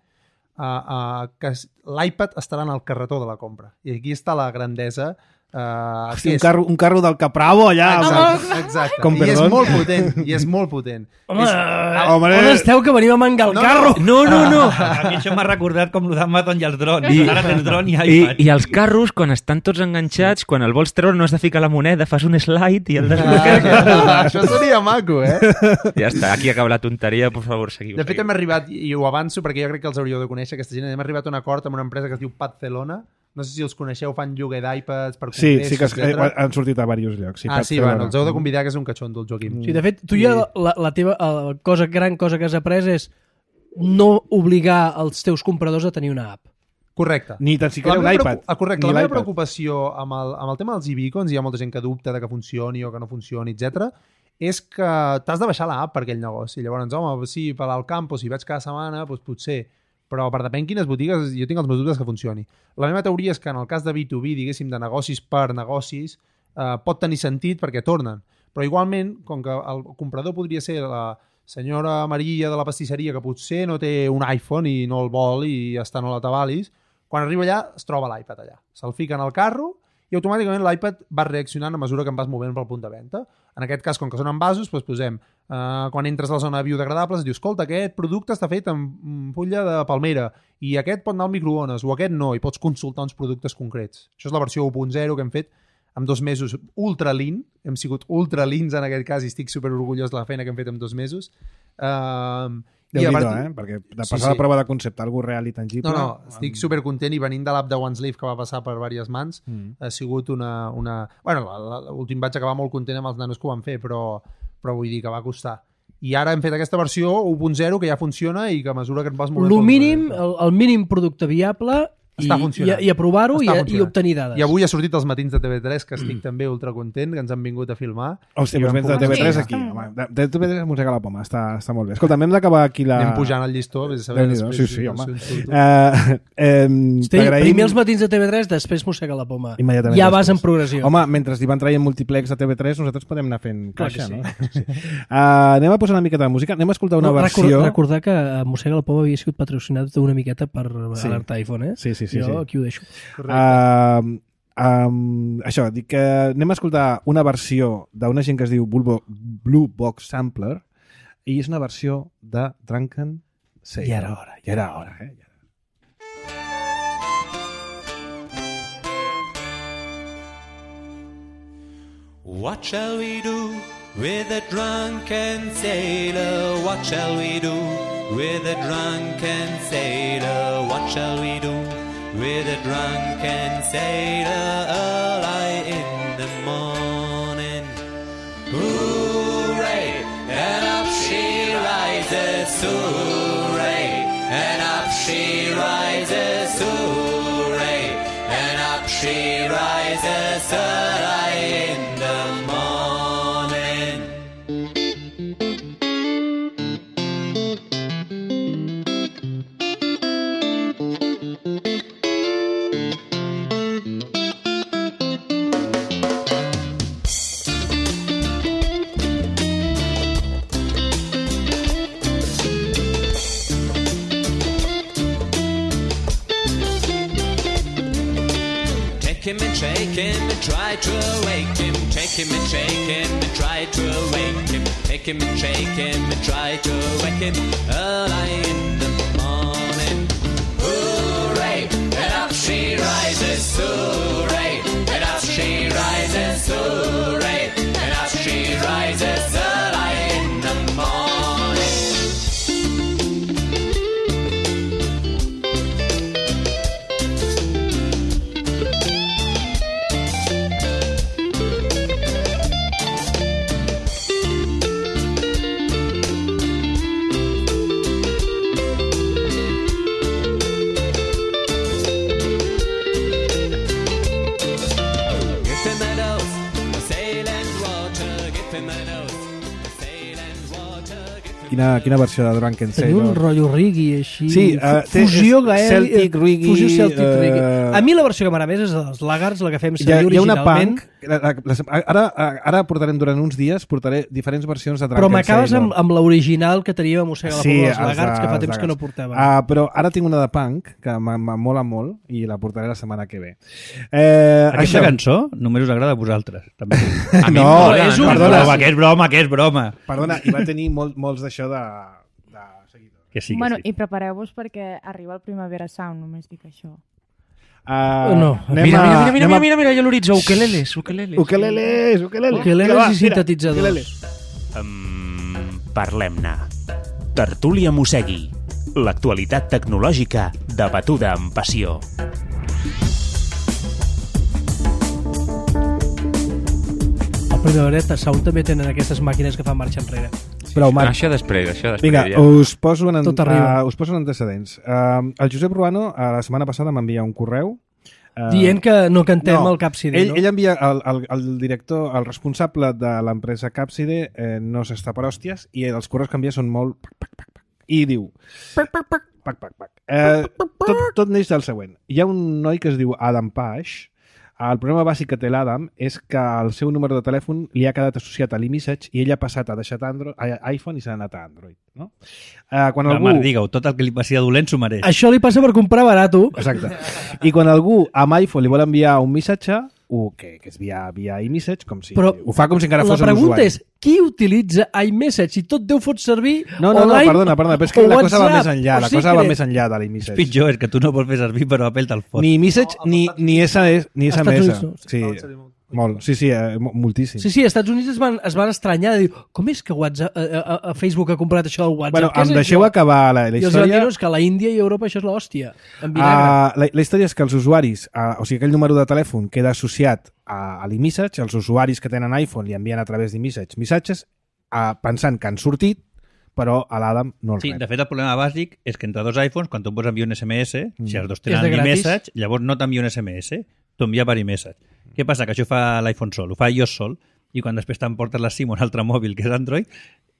uh, uh, que l'iPad estarà en el carretó de la compra. I aquí està la grandesa. Uh, Hosti, un, carro, un carro del Capravo allà. Exacte, exacte. Com, I és perdó? molt potent, i és molt potent. Home, és... home, on esteu que venim a mangar el No, carro? No, no, no. A mi això m'ha recordat com el d'Amazon i els drons. I- Ara tens dron i I, iPad. I els carros, quan estan tots enganxats, quan el vols treure no has de ficar la moneda, fas un slide i el desbloqueges. Ah, això seria maco, eh? Ja està, aquí acaba la tonteria, per favor, seguiu. De fet, seguiu. hem arribat, i ho avanço perquè jo crec que els hauríeu de conèixer, aquesta gent, hem arribat a un acord amb una empresa que es diu Padcelona. No sé si els coneixeu, fan lloguer d'iPads per Sí, congressos, sí que es, eh, etcètera. han sortit a diversos llocs. Sí, Ah, pot sí, fer bueno, veure. els heu de convidar, que és un catxondo, el Joaquim. Sí, de fet, tu ja la, la teva la cosa, gran cosa que has après és no obligar els teus compradors a tenir una app. Correcte. Ni tan La siquiera un meva iPad. preocu- ah, correcte, Ni la meva l'iPad. preocupació amb el, amb el tema dels e-beacons, hi ha molta gent que dubta de que funcioni o que no funcioni, etcètera, és que t'has de baixar l'app per aquell negoci. Llavors, home, sí, per al camp, o si vaig cada setmana, doncs potser. Però per depèn quines botigues, jo tinc els meus dubtes que funcioni. La meva teoria és que en el cas de B dos B, diguéssim, de negocis per negocis, eh, pot tenir sentit perquè tornen. Però igualment, com que el comprador podria ser la senyora Maria de la pastisseria, que potser no té un iPhone i no el vol i ja està, no l'atabalis, quan arriba allà es troba l'iPad allà. Se'l fica en el carro i automàticament l'iPad va reaccionant a mesura que em vas movent pel punt de venda. En aquest cas, com que són envasos, doncs posem, eh, quan entres a la zona biodegradables, dius, escolta, aquest producte està fet amb fulla de palmera i aquest pot anar al microones o aquest no, i pots consultar uns productes concrets. Això és la versió u punt zero que hem fet en dos mesos ultra lean, hem sigut ultra leans en aquest cas i estic super orgullós de la feina que hem fet en dos mesos. Uh, Déu-n'hi-do, eh? Perquè de passar Sí, la sí. prova de concepte, algú real i tangible... No, no, estic super content i venint de l'app de OneSleeve que va passar per diverses mans, Mm. ha sigut una... una... Bueno, la- la- l'últim vaig acabar molt content amb els nanos que ho van fer, però, però vull dir que va costar. I ara hem fet aquesta versió u punt zero que ja funciona i que a mesura que et vas movent... El pel mínim, producte- el, el mínim producte viable i, Està i, funcionant. i aprovar-ho i, Està i funcionant. obtenir dades. I avui ha sortit els matins de T V tres, que estic també ultra content, que ens han vingut a filmar. Hòstia, I doncs vam vens de poder- T V tres Sí, aquí. està Home. De, de T V tres mossega la poma, està, està molt bé. Escolta, hem d'acabar aquí la... Anem pujant el llistó, vés a saber Déu-n'hi-do, després. sí, sí, home. si on surto. Uh, eh, Hosti, primer els matins de T V tres, després mossega la poma. Immediatament Ja després. vas en progressió. Home, mentre hi van traient multiplex a T V tres, nosaltres podem anar fent Clar que caixa, sí. no? Sí. Uh, anem a posar una miqueta de música. Anem a escoltar una No, versió... recordar, recordar que eh, Mossega la Poma havia sigut patrocinat una miqueta per Sí. alertar iPhone, eh? Sí, sí, sí, Jo sí. aquí ho deixo. Uh, um, això, dic que anem a escoltar una versió d'una gent que es diu Bulbo, Blue Box Sampler i és una versió de Drunken Sailor. Ja era hora. Ja era hora, eh? Ja era. What shall we do with a drunken sailor? What shall we do with a drunken sailor? What shall we do with a drunken sailor early in the morning? Hooray! And up she rises, hooray! And up she rises, hooray! And up she rises early in the morning. Take him and shake him and try to awake him. Take him and shake him and try to awake him. Take him and shake him and try to wake him early in the morning. Hooray! And up she rises so right, and up she rises so right, and up she rises early in the morning. Quina, quina versió de Drunken Tenia Sailor? un rotllo reggae així. Sí, uh, té- fusió és gaèlic. Celtic reggae, Fusió Celtic eh, reggae. A mi la versió que m'agrada més és dels Laggards, la que fem Hi ha, servir hi ha una originalment. punk... La, la, la, ara, ara portarem durant uns dies portaré diferents versions de Drunken Però m'acabes Sailor. amb, amb l'original que teníem a Mossega la Sí, Pobla dels els Laggards, que fa dels temps que no Laggards. portàvem. Uh, però ara tinc una de punk que m'mola molt i la portaré la setmana que ve. Eh, Aquesta això- cançó només us agrada a vosaltres. També. A mi No, em mola, és no, un- no, perdona. Broma, que és broma, que és broma. Perdona, i va tenir molt, molts d'això de, de seguidors. Que sí, que bueno, sí. i prepareu-vos perquè arriba el Primavera Sound, només dic això. Uh, No. anem Mira, a- mira, mira, mira, anem a- mira, mira, allà a l'horitzó, ukeleles, ukeleles. Ukeleles, ukeleles. Ukeleles Vinga, va, i mira, sintetitzadors. ukeleles. Um, Parlem-ne. Tertúlia Mossegui. L'actualitat tecnològica debatuda amb passió. El Primavera Sound també tenen aquestes màquines que fan marxa enrere. Prou, Marc. Això després, això després. Vinga, ja. us poso, en, Tot arriba. uh, us poso en antecedents. Uh, el Josep Ruano, uh, la setmana passada m'envia un correu uh, Dient que no cantem no, el Capside, ell, no? ell envia el, el, el director, el responsable de l'empresa Capside eh, no s'està per hòsties i els correus que envia són molt pac, pac, pac, pac, i diu pac, pac, pac, pac, pac, pac. Eh, tot, tot neix del següent. Hi ha un noi que es diu Adam Pash. El problema bàsic que té l'Adam és que el seu número de telèfon li ha quedat associat a l'iMessage i ell ha passat a deixar Android, a iPhone i s'ha anat a Android. No? Eh, quan La algú... Marc, digue-ho, tot el que li passi a dolent s'ho mereix. Això li passa per comprar barato. Exacte. I quan algú amb iPhone li vol enviar un missatge, o que, que és via, via iMessage, com si, Però ho fa com si encara la fos un pregunta usuari. és, qui utilitza iMessage? Si tot Déu fot servir No, no, no, online perdona, perdona, però és que o la cosa va WhatsApp, més enllà, o la cosa va Secret. més enllà de És l'iMessage. pitjor, és que tu no vols fer servir, però Apple te'l fot. Ni iMessage ni, ni S M S. Ni Estats S M S. Units no. Sí, molt. Sí, sí, eh, mo- moltíssim. Sí, sí, als Estats Units es van, es van estranyar de dir, com és que WhatsApp, a, a, a Facebook ha comprat això del WhatsApp? Bueno, Què és em això? deixeu acabar la, la I els van dir, història. no, és que a la Índia i a Europa això és l'hòstia. En vinagre. Uh, la, la història és que els usuaris, uh, o sigui, aquell número de telèfon queda associat a, a l'iMessage, els usuaris que tenen iPhone li envien a través d'iMessage missatges uh, pensant que han sortit, però a l'Adam no el Sí, rep. de fet, el problema bàsic és que entre dos iPhones, quan tu pots enviar un S M S, si els dos És tenen de gratis. iMessage, llavors no t'envia un S M S, t'ho envia per iMessage. Què passa? Que això fa l'iPhone sol, ho fa iOS sol, i quan després t'emportes la SIM a un altre mòbil que és Android,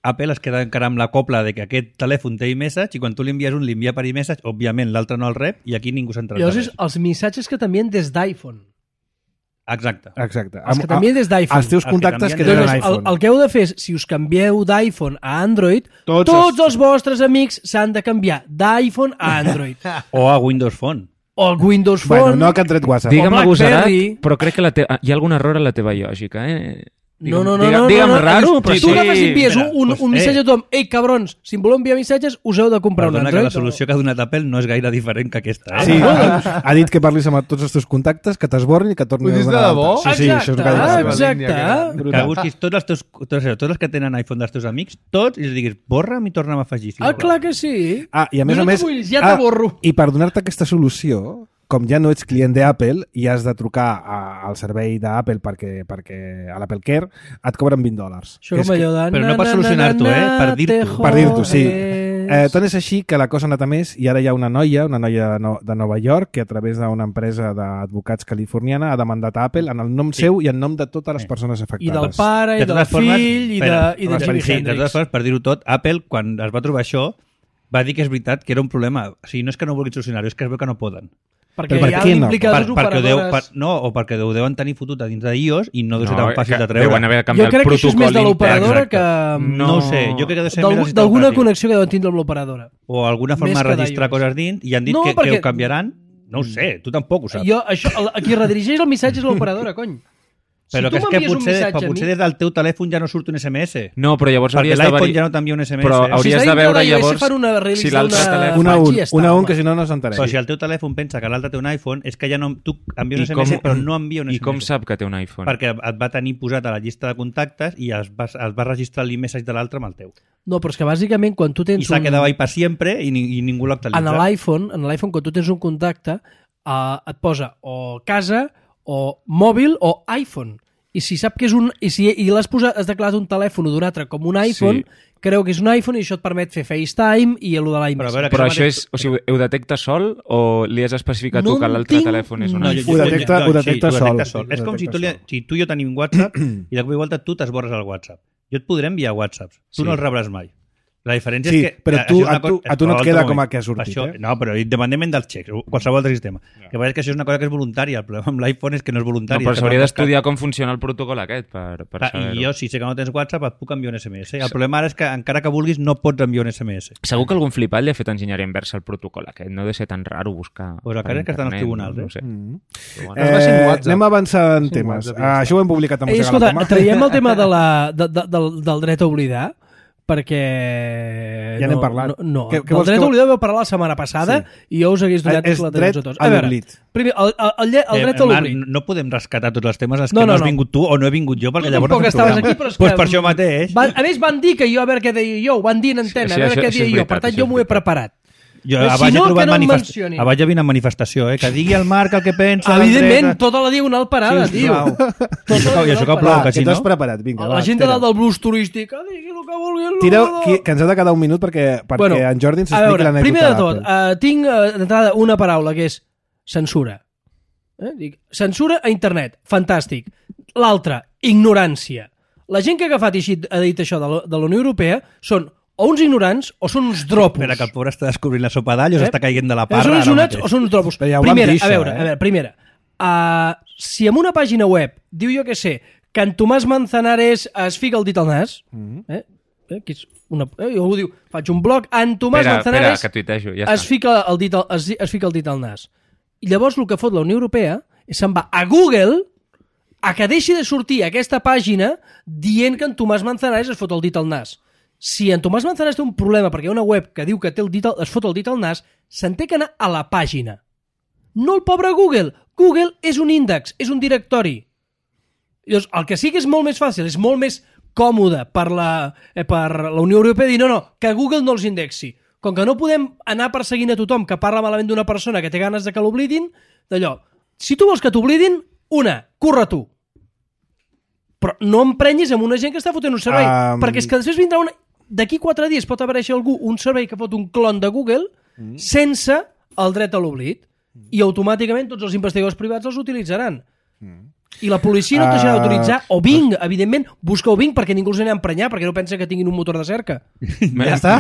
Apple es queda encara amb la copla de que aquest telèfon té iMessage i quan tu li envies un, li envia per iMessage, òbviament l'altre no el rep i aquí ningú s'entra. Llavors, és els missatges que t'envien des d'iPhone. Exacte. Exacte. Els que Amb- t'envien des d'iPhone. Els teus Els que contactes que t'envien tenen Llavors, el, iPhone. el que heu de fer és, si us canvieu d'iPhone a Android, Tots tots, els- els vostres amics s'han de canviar d'iPhone a Android. O a Windows Phone. O el Windows Phone. Bueno, no que han tret WhatsApp. Digue'm o agosarat, BlackBerry. però crec que la te... hi ha algun error en la teva lògica, eh? No, no, no, Digue'm, no, digue'm no, no, raro, no, però tu sí. agafes i envies un, Espera, un, pues, un missatge eh. a tothom. Ei, cabrons, si em voleu enviar missatges, us heu de comprar Perdona un que Android. la solució que ha donat Apple no és gaire diferent que aquesta. Eh? Sí, ha, ha dit que parlis amb tots els teus contactes, que t'esborrin i que tornin Ho dius de donar debò? l'alta. Sí, sí, això és Exacte, gaire. ah, seva exacte. línia, que era- Que busquis tots els teus, tots, tots els que tenen iPhone dels teus amics, tots, i els diguis, borra'm i torna'm a afegir. Ah, clar que sí. Ah, i a més No a te més... vulguis, ja ah, te borro. I per donar-te aquesta solució, com ja no ets client d'Apple i has de trucar a, al servei d'Apple perquè, perquè a l'Apple Care, et cobren vint dòlars. Això És com que- allò de... Però no per na, na, solucionar-t'ho, na, eh? Per na, dir-t'ho. te Per dir-t'ho, sí. jodes. Eh, tant és així que la cosa ha anat a més i ara hi ha una noia, una noia de, no, de Nova York, que a través d'una empresa d'advocats californiana ha demandat a Apple en el nom Sí. seu i en nom de totes les Sí. persones I afectades. del pare, i De del totes formes, fill, i de, espera, i de sí, Jimi Sí, de Hendrix. totes formes, per dir-ho tot, Apple, quan es va trobar això, va dir que és veritat que era un problema. O sigui, no és que no vulguin solucionar-ho, és que es veu que no poden. Perquè Però per hi ha què no? implicades Per, perquè ho deu, per, operadores... no, o perquè ho deuen tenir fotut a dins d'iOS i no deu ser No, tan fàcil que de treure. deuen haver de Jo canviar el crec que això és protocol més de l'operadora intern. que... No ho sé, jo crec que ha de ser d'algú- més D'alguna asimptomàtic. connexió que deuen tindre amb l'operadora. O alguna forma Més de que registrar d'iOS. coses dins i han dit No, que, perquè- que ho canviaran. No ho sé, tu tampoc ho saps. Jo, això, el- a qui redirigeix el missatge és l'operadora, cony. Però tu que és que m'envies un potser, missatge però a potser mi- des del teu telèfon ja no surt un S M S. No, però llavors Perquè hauries de... l'iPhone vari- ja no t'envia un S M S. Però eh? hauries està de veure dintre d'iOS, llavors fan una release si l'altre d'una- telèfon... Una a Vaig un, i ja està, una a un, home. que si no no s'enteneix. Però si el teu telèfon pensa que l'altre té un iPhone, és que ja no, tu envia un I S M S, com- però no envia un S M S. I com sap que té un iPhone? Perquè et va tenir posat a la llista de contactes i es va, es va registrar l'e-message de l'altre amb el teu. No, però és que bàsicament quan tu tens I s'ha un... quedat ahí per sempre i, ni, i ningú l'actualitza. En l'iPhone, en l'iPhone quan tu tens un contacte, uh, et posa o casa, o mòbil, o iPhone. I si sap que és un... I si i l'has posat, has declarat un telèfon d'un altre com un iPhone, Sí. creu que és un iPhone i això et permet fer FaceTime i el de Però a l'iMessage. veure, Però que això mateix- és... O sigui, ho detecta sol o li has especificat No tu que en l'altre tinc- telèfon és un No, iPhone? Ho detecta- ho detecta sí, sol. Ho detecta sol. Ho És com si detecta tu, li, sol. si tu i jo tenim WhatsApp i de cop i volta tu t'esborres el WhatsApp. Jo et podré enviar WhatsApps. Tu Sí. no els rebràs mai. La diferència Sí, és que... però eh, tu- això és una a tu- cosa- a tu no et però queda altre com a moment. que ha sortit, Això, eh? No, però independentment dels xecs, qualsevol altre sistema. Que passa que això és una cosa que és voluntària. El problema amb l'iPhone és que no és No, voluntari. però és que s'hauria no d'estudiar com funciona el protocol aquest per, per Clar, saber-ho. I jo, si sé que no tens WhatsApp, et puc enviar un S M S. El problema ara és que encara que vulguis no pots enviar un S M S. Segur que algun flipat li ha fet enginyeria inversa al protocol aquest. No ha de ser tan raro buscar... Pues el per cas és que estan als internet, tribunals, no, eh? no sé. Mm. Però bueno. Es va ser en Eh, WhatsApp. anem a avançar en Sí, en temes. WhatsApp, ja Ah, està. això ho hem publicat a Ei, Mossega escolta, la Poma. traiem el tema de la, de, de, del, del dret a oblidar, perquè... Ja n'hem no, parlat. No, no. Què- què Del vols dret que- a oblidar vau parlar la setmana passada i jo us hagués donat És la dret a tots. a veure, l'oblit. primer, el, el, el, lle- el dret a Eh, Marc, l'oblit. no podem rescatar tots els temes als que No, no, no, has no. vingut tu o no he vingut jo, perquè Tu llavors tampoc no fem estaves programa. aquí, però és pues que... per això mateix. Van, a més, van dir que jo a veure què deia jo, ho van dir en antena, Sí, a sí, veure això- què això deia és jo. veritat, Per tant, això jo és m'ho he veritat. preparat. Jo Però a si baix no, he trobat que no em manifest... mencionin. a baix hi havia una manifestació, eh? Que digui el Marc el que pensa. Evidentment, l'Andrés. tota la diagonal parada, Sí, tio. sisplau. Tota I això, la i això que diagonal plou, Va, que que si t'has no... preparat, vinga. La va, gent de tira. dalt del blues turístic, ah, digui el que vulgui. Tireu, que, que ens ha de quedar un minut perquè, perquè Bueno, en Jordi ens a expliqui veure, l'anècdota primer de tot, d'Apple. uh, tinc uh, d'entrada una paraula que és censura. Eh? Dic, censura a internet, fantàstic. L'altra, ignorància. La gent que ha agafat i així ha dit això de la, de la Unió Europea són o uns ignorants o són uns dropos. Espera, que el pobre està descobrint la sopa d'all o Eh? s'està caient de la O parra són uns ara ignorants mateix. o són uns dropos. Però ja ho vam primera, dir, això, a veure, eh? a veure, primera. Uh, si en una pàgina web diu jo que sé que en Tomàs Manzanares es fica el dit al nas, Mm-hmm. eh? Eh? Que és una, eh? algú diu, faig un blog, en Tomàs Espera, espera, Manzanares que tuitejo, ja es està. fica, el dit al, es, es fica el dit al nas. I llavors el que fot la Unió Europea és se'n va a Google a que deixi de sortir aquesta pàgina dient que en Tomàs Manzanares es fot el dit al nas. Si en Tomàs Manzanares té un problema perquè hi ha una web que diu que té el dit al, es fot el dit al nas, se'n té que anar a la pàgina. No el pobre Google. Google és un índex, és un directori. Llavors, el que sí que és molt més fàcil, és molt més còmode per la, eh, per la Unió Europea dir no, no, que Google no els indexi. Com que no podem anar perseguint a tothom que parla malament d'una persona que té ganes de que l'oblidin, d'allò, si tu vols que t'oblidin, una, curra tu. Però no emprenyis amb una gent que està fotent un servei, Um, perquè és que després vindrà una... D'aquí quatre dies pot aparèixer algú, un servei que fot un clon de Google mm. sense el dret a l'oblit i automàticament tots els investigadors privats els utilitzaran. Mm. I la policia no et deixarà Uh, d'autoritzar o Bing, evidentment, busca o Bing perquè ningú els anirà a emprenyar, perquè no pensa que tinguin un motor de cerca. Ja està?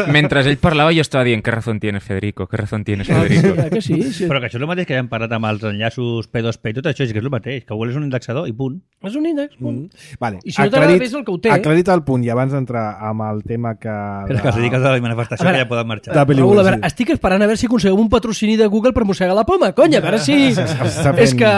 Mentre ell parlava jo estava dient, ¿qué razón tienes, Federico? ¿Qué razón tienes, Federico? Ah, que sí, sí. Però que això és el mateix que ja hem parlat amb els enllaços P dos P i tot això, és que és el mateix, que Google és un indexador i punt. És un índex. Mm. Vale. I si no t'agrada, ves el que ho té. Aclarit el punt, i abans d'entrar amb el tema que... Però que els dediques a la manifestació A veure, que ja poden marxar. de pel·lícula, Raül, a veure, sí. estic esperant a veure si aconseguim un patrocini de Google per mossegar la poma, conya, a veure si... Està fent- És que...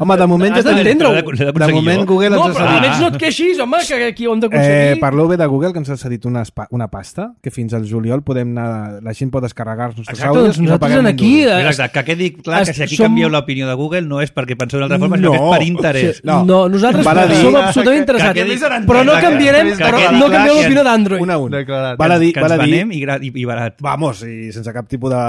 Home, de moment has ja tenim- d'entendre-ho. L'he De d'aconseguir moment jo. Google No, ens però ha almenys cedit... no et queixis, home, que aquí ho hem Eh, d'aconseguir. parleu bé de Google, que ens ha cedit una, espa- una pasta, que fins al juliol podem anar... La gent pot descarregar els nostres Exacte, àudios doncs i no nosaltres paguem en un aquí... duro. eh, Mira, exacte, que quedi clar que si aquí som- canvieu l'opinió de Google no és perquè penseu d'una altra forma, sinó No. que és per interès. No. No, nosaltres Val a dir- som absolutament que interessats. quedi- Però no que- canviarem, que però quedi no clar canviem que- l'opinió d'Android. Un a un. Declarat. Val a dir, que val ens a dir... venem i, gra- i, i barat. Vamos, i sense cap tipus de,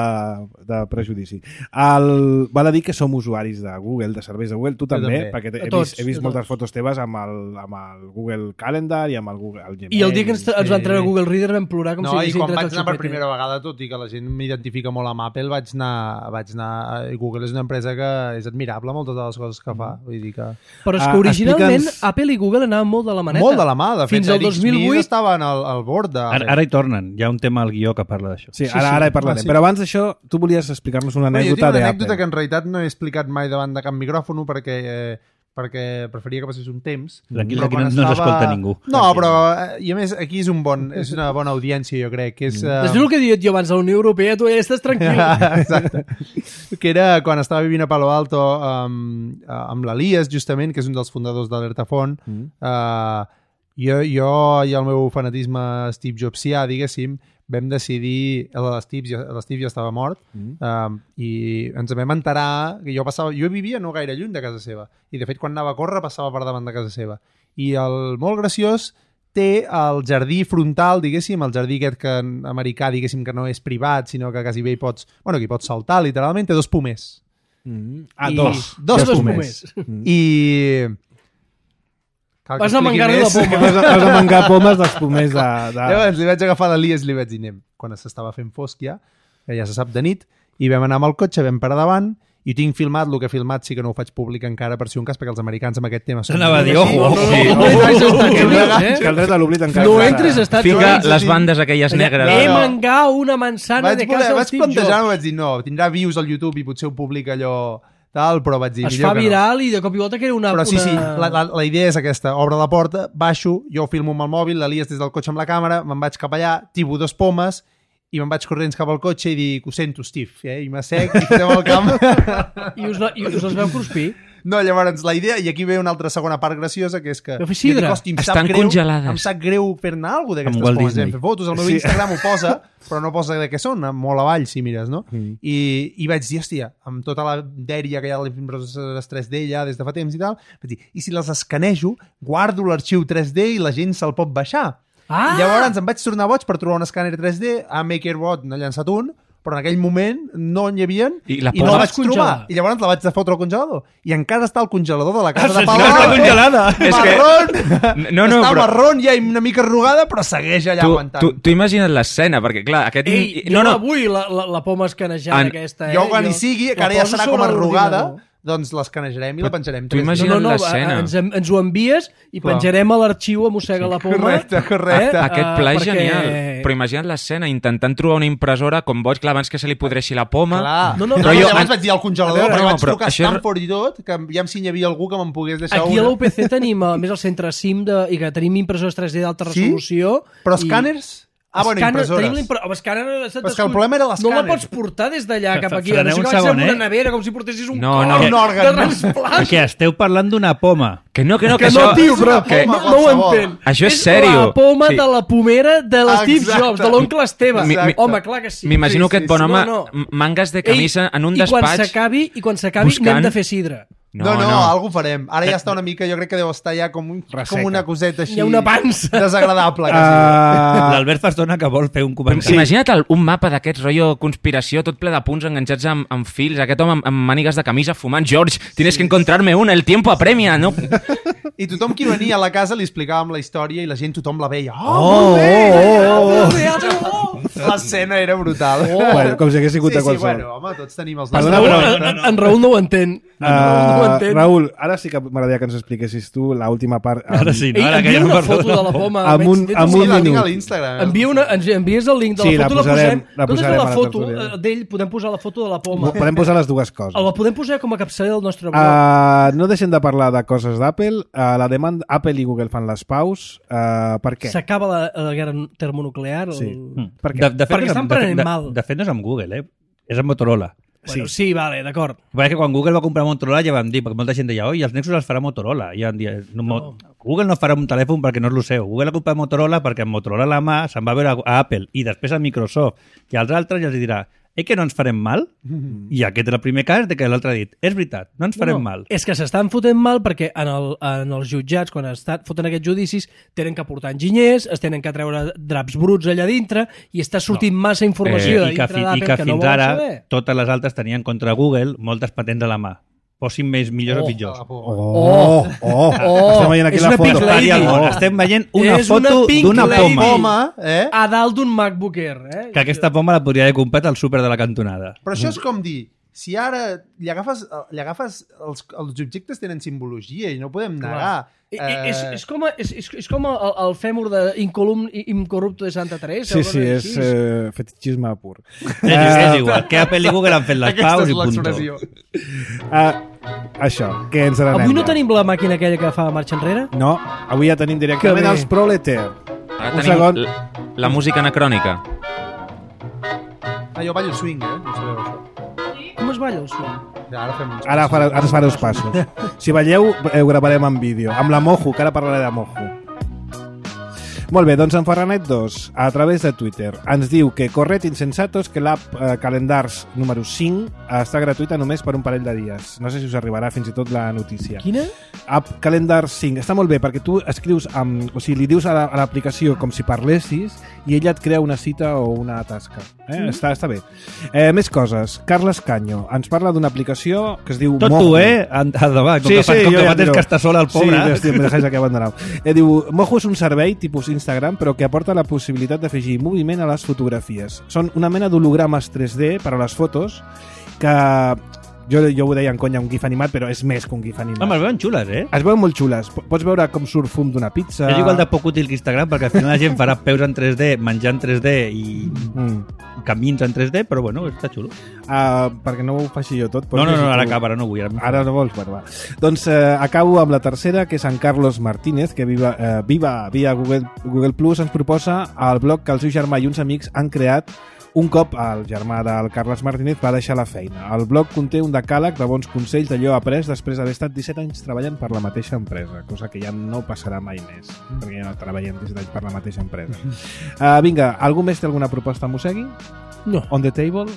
de prejudici. El, val a dir que som usuaris de Google, de serveis de Google, tu també, també. perquè he, A tots, vist, he vist a moltes tots. fotos teves amb el, amb el Google Calendar i amb el Google el Gmail. I el dia que ens, ens van treure Sí. Google Reader vam plorar com No, si i haguéssim quan tret vaig el anar per xupete. primera vegada, tot i que la gent m'identifica molt amb Apple, vaig anar, vaig anar... Google és una empresa que és admirable, moltes de les coses que fa. Vull dir que... Però és Ah, que originalment explica'ns- Apple i Google anaven molt de la maneta. Molt de la mà, de fet. Fins al dos mil vuit estaven al, al bord de... Ara, ara hi tornen, hi ha un tema al guió que parla d'això. Sí, Sí, ara, sí. ara hi parlarem. Ah, sí. Però abans d'això, tu volies explicar-nos una Bueno, jo tinc anècdota una d'Apple. anècdota que en realitat no he explicat mai davant de cap micròfon perquè eh, perquè preferia que passés un temps. Tranquil, però aquí quan no, no s'escolta ningú. No, però, i a més, aquí és, un bon, és una bona audiència, jo crec. Que és, uh... Després el que he dit jo abans de la Unió Europea, tu ja estàs tranquil. Exacte. Que era quan estava vivint a Palo Alto amb, amb l'Elias, justament, que és un dels fundadors d'Alertafont. Mm. Uh, jo, jo i el meu fanatisme Steve Jobsià, diguéssim, vam decidir, l'Steve ja, ja estava mort, mm. um, i ens vam enterar que jo passava, jo vivia no gaire lluny de casa seva, i de fet quan anava a córrer passava per davant de casa seva. I el molt graciós té el jardí frontal, diguéssim, el jardí aquest que en americà, diguéssim, que no és privat, sinó que quasi bé hi pots, bueno, que hi pots saltar, literalment, té dos pomers. Mm. Ah, I, dos. Dos, dos pomers. pomers. Mm. I... Cal Vas a mangar-li la poma. Vas a, vas a mangar pomes dels pomers de... de... Llavors li vaig agafar l'Elias i li vaig dir, anem, quan s'estava fent fosc ja, que ja se sap de nit, i vam anar amb el cotxe, vam parar davant, i tinc filmat, el que he filmat sí que no ho faig públic encara per si un cas, perquè els americans amb aquest tema són... Anava a dir, ojo, ojo. Que el dret a l'oblit encara... No entris a Estats Fica Units. les bandes aquelles negres. He mangar una manzana vaig de casa voler, del vaig Steve plantejar, Jobs. vaig dir, no, tindrà views al YouTube i potser ho publica allò tal, però vaig dir... Es millor fa que no. viral i de cop i volta que era una... Però sí, sí, una... la, la, la idea és aquesta. Obro la porta, baixo, jo filmo amb el mòbil, l'Elias des del cotxe amb la càmera, me'n vaig cap allà, tibo dos pomes i me'n vaig corrents cap al cotxe i dic, ho sento, Steve, eh? I m'assec i fotem al camp. I us, la, I us els veu cruspir? No, llavors la idea, i aquí ve una altra segona part graciosa, que és que... Veu fer sidra? Jo dic, hosti, em sap Estan greu, congelades. Em sap greu fer-ne alguna cosa Amb d'aquestes Walt coses. Disney. Em fer fotos, el meu Sí. Instagram ho posa, però no posa de què són, molt avall, si mires, no? Mm. I, I vaig dir, hòstia, amb tota la dèria que hi ha a les impressores tres D ja des de fa temps i tal, vaig dir, i si les escanejo, guardo l'arxiu tres D i la gent se'l pot baixar. Ah! I llavors em vaig tornar boig per trobar un escàner tres D, a MakerBot n'ha llançat un, però en aquell moment no n'hi havia I la i no la vaig poses- trobar. I llavors la vaig de fotre al congelador. I encara està al congelador de la casa de Ah, Palau. està congelada. És que- Marrón! No, no, està però- marrón ja i una mica arrugada, però segueix allà Tu, aguantant. tu, tu imagina't l'escena, perquè clar, aquest... Ei, jo no, no, avui la, la, la poma escanejada En- aquesta, eh? jo quan hi sigui, que la ara ja poso serà sobre com arrugada, l'ordinador. doncs l'escanejarem i la penjarem. tu tres D. imagina- No, no, no, l'escena. ens, ens ho envies i Clar. penjarem a l'arxiu a Mossega la Poma. Correcte, correcte. Eh? Aquest Ah, pla és perquè- genial. Però imagina't l'escena, intentant trobar una impressora com boig, clar, abans que se li podreixi la poma. Clar. No, no, no, però jo, jo- llavors vaig dir al congelador, A veure, però no, vaig però trucar a això és- Stanford i tot, que ja si hi havia algú que me'n pogués deixar Aquí a una. l'U P C tenim, a més, el centre SIM de, i que tenim impressores tres D d'alta Sí? resolució. Però i- escàners? Ah, bueno, Escàner- impressores. Tenim l'impre- oh, escàner, Però és que el problema era l'escàner. No la pots portar des d'allà cap aquí. Freneu No sé un que vaig segon, amb una eh? nevera, com si portessis un No, cor no. de Un òrgan. transplant. Que esteu parlant d'una poma. Que no, que no, que, Que no, això... tio, però que... no, no ho qualsevol. entenc. Això és És sèrio. la poma Sí. de la pomera de l'Steve Exacte. Jobs, de l'oncle Esteve. Mi- mi- Home, clar que sí. M'imagino Sí, que sí, aquest bon sí. home, No, no. mangas de camisa en un I quan despatx... s'acabi, i quan s'acabi buscant- n'hem de fer sidra. No, no, no, algú farem. Ara ja està una mica, jo crec que deu estar ja com, un, com una coseta així... Hi ha una pansa. Desagradable, quasi. Uh, L'Albert fa estona que vol fer un Sí. comentari. Imagina't el, un mapa d'aquest rotllo conspiració, tot ple de punts enganxats amb, amb fils, aquest home amb, amb mànigues de camisa fumant. George, tienes que encontrarme una, el tiempo apremia, no? I tothom qui venia a la casa li explicàvem la història i la gent tothom la veia. Oh, oh, molt bé! oh, Oh, L'escena era brutal. Oh. bueno, com si hagués sigut sí, a sí, qualsevol. bueno, home, tots tenim els Perdona, nostres... però- en, en Raül no ho entén. En Raül no ho Uh, entén. Raül, ara sí que m'agradaria que ens expliquessis tu l'última part. amb- Ara sí, no? Ei, Ara que envia ja no una parlo foto de la poma. Amb un- Veig- amb Sí, un la tinc minut. a l'Instagram. eh? Envia una, ens envies el link de la Sí, la foto, la, posarem- posem. la Nosaltres posarem a a la la foto tertúlia. eh, d'ell podem posar la foto de la poma. Podem posar les dues coses. La podem posar com a capçalera del nostre blog. Uh, no deixem de parlar de coses d'Apple. Uh, la demanda, Apple i Google fan les paus. Uh, per què? S'acaba la, la guerra termonuclear. El... Sí. Mm. Per què? De, de fet, Perquè no és estan amb- de, prenent de, mal. De fet, no és amb Google, eh? És amb Motorola. Bueno, sí. sí, vale, d'acord. Perquè que quan Google va comprar Motorola ja vam dir, perquè molta gent deia, oi, els Nexus els farà Motorola. I ja vam dir, no, no. Google no farà un telèfon perquè no és el seu. Google ha comprat Motorola perquè amb Motorola a la mà se'n va veure a, a Apple i després a Microsoft i als altres i els dirà, eh que no ens farem mal? Mm-hmm. I aquest és el primer cas de que l'altre ha dit, és veritat, no ens farem no, mal. És que s'estan fotent mal perquè en, el, en els jutjats, quan estan fotent aquests judicis, tenen que portar enginyers, es tenen que treure draps bruts allà dintre i està sortint no. massa informació Eh, de I que, dintre fi, d'Apple i que que no fins volen ara saber. totes les altres tenien contra Google moltes patents a la mà. Posin més millors Oh. o pitjors. Oh, oh, oh, Oh, estem veient aquí és la una foto. pink lady. Oh. Estem veient una És una foto pink d'una lady. poma. Poma, eh? A dalt d'un MacBook Air. Eh? Que aquesta poma la podria haver comprat al súper de la cantonada. Però això és com dir, si ara li agafes, li agafes els, els objectes tenen simbologia i no podem negar. I, i, és, és, com, a, és, és, és com el, el fèmur de Incolum Incorrupto de Santa Teresa. Sí, sí, és eh, fetichisme pur. És, és igual, que Apple i Google han fet les Aquesta paus és i punto. l'expressió. Uh, Això, que ens n'anem. Avui no ja. tenim la màquina aquella que fa marxa enrere? No, avui ja tenim directament els Proleter. Ara Un tenim segon. la, la música anacrònica. Ah, jo ballo swing, eh? No sabeu això. Com es balla el swing? Ja, ara fem uns Ara, farà, ara es farà els passos. Si balleu, ho gravarem en vídeo. Amb la Mojo, que ara parlaré de Mojo. Molt bé, doncs en Ferranet dos, a través de Twitter, ens diu que corret insensatos que l'app eh, Calendars número cinc està gratuïta només per un parell de dies. No sé si us arribarà fins i tot la notícia. Quina? App Calendars cinc. Està molt bé perquè tu escrius amb... O sigui, li dius a la- a l'aplicació com si parlessis i ella et crea una cita o una tasca. Eh? Mm. Està, està bé. Eh, més coses. Carles Canyo ens parla d'una aplicació que es diu Tot Mojo. tu, eh? Endavant, com que fa, com jo que ja fa temps tiro. que està sola el pobre. Sí, hòstia, me dejáis aquí abandonado. Eh, diu, Mojo és un servei tipus Instagram, però que aporta la possibilitat d'afegir moviment a les fotografies. Són una mena d'hologrames tres D per a les fotos que... Jo, jo ho deia en conya, un gif animat, però és més que un gif animat. Home, es veuen xules, eh? Es veuen molt xules. P- Pots veure com surt fum d'una pizza... És igual de poc útil que Instagram, perquè al final la gent farà peus en tres D, menjar en tres D i Mm. camins en tres D, però bueno, està xulo. Uh, perquè no ho faci jo tot. pots No, no, no, llegir ara tu. acaba, ara no vull. Ara, Ara no vols? Bueno, va. Doncs eh, acabo amb la tercera, que és en Carlos Martínez, que viva, eh, viva via Google, Google Plus, ens proposa el blog que el seu germà i uns amics han creat un cop el germà del Carles Martínez va deixar la feina. El blog conté un decàleg de bons consells d'allò après després d'haver estat disset anys treballant per la mateixa empresa, cosa que ja no passarà mai més, perquè ja no treballem disset anys per la mateixa empresa. Uh, vinga, algú més té alguna proposta a Mossegui? No. On the table?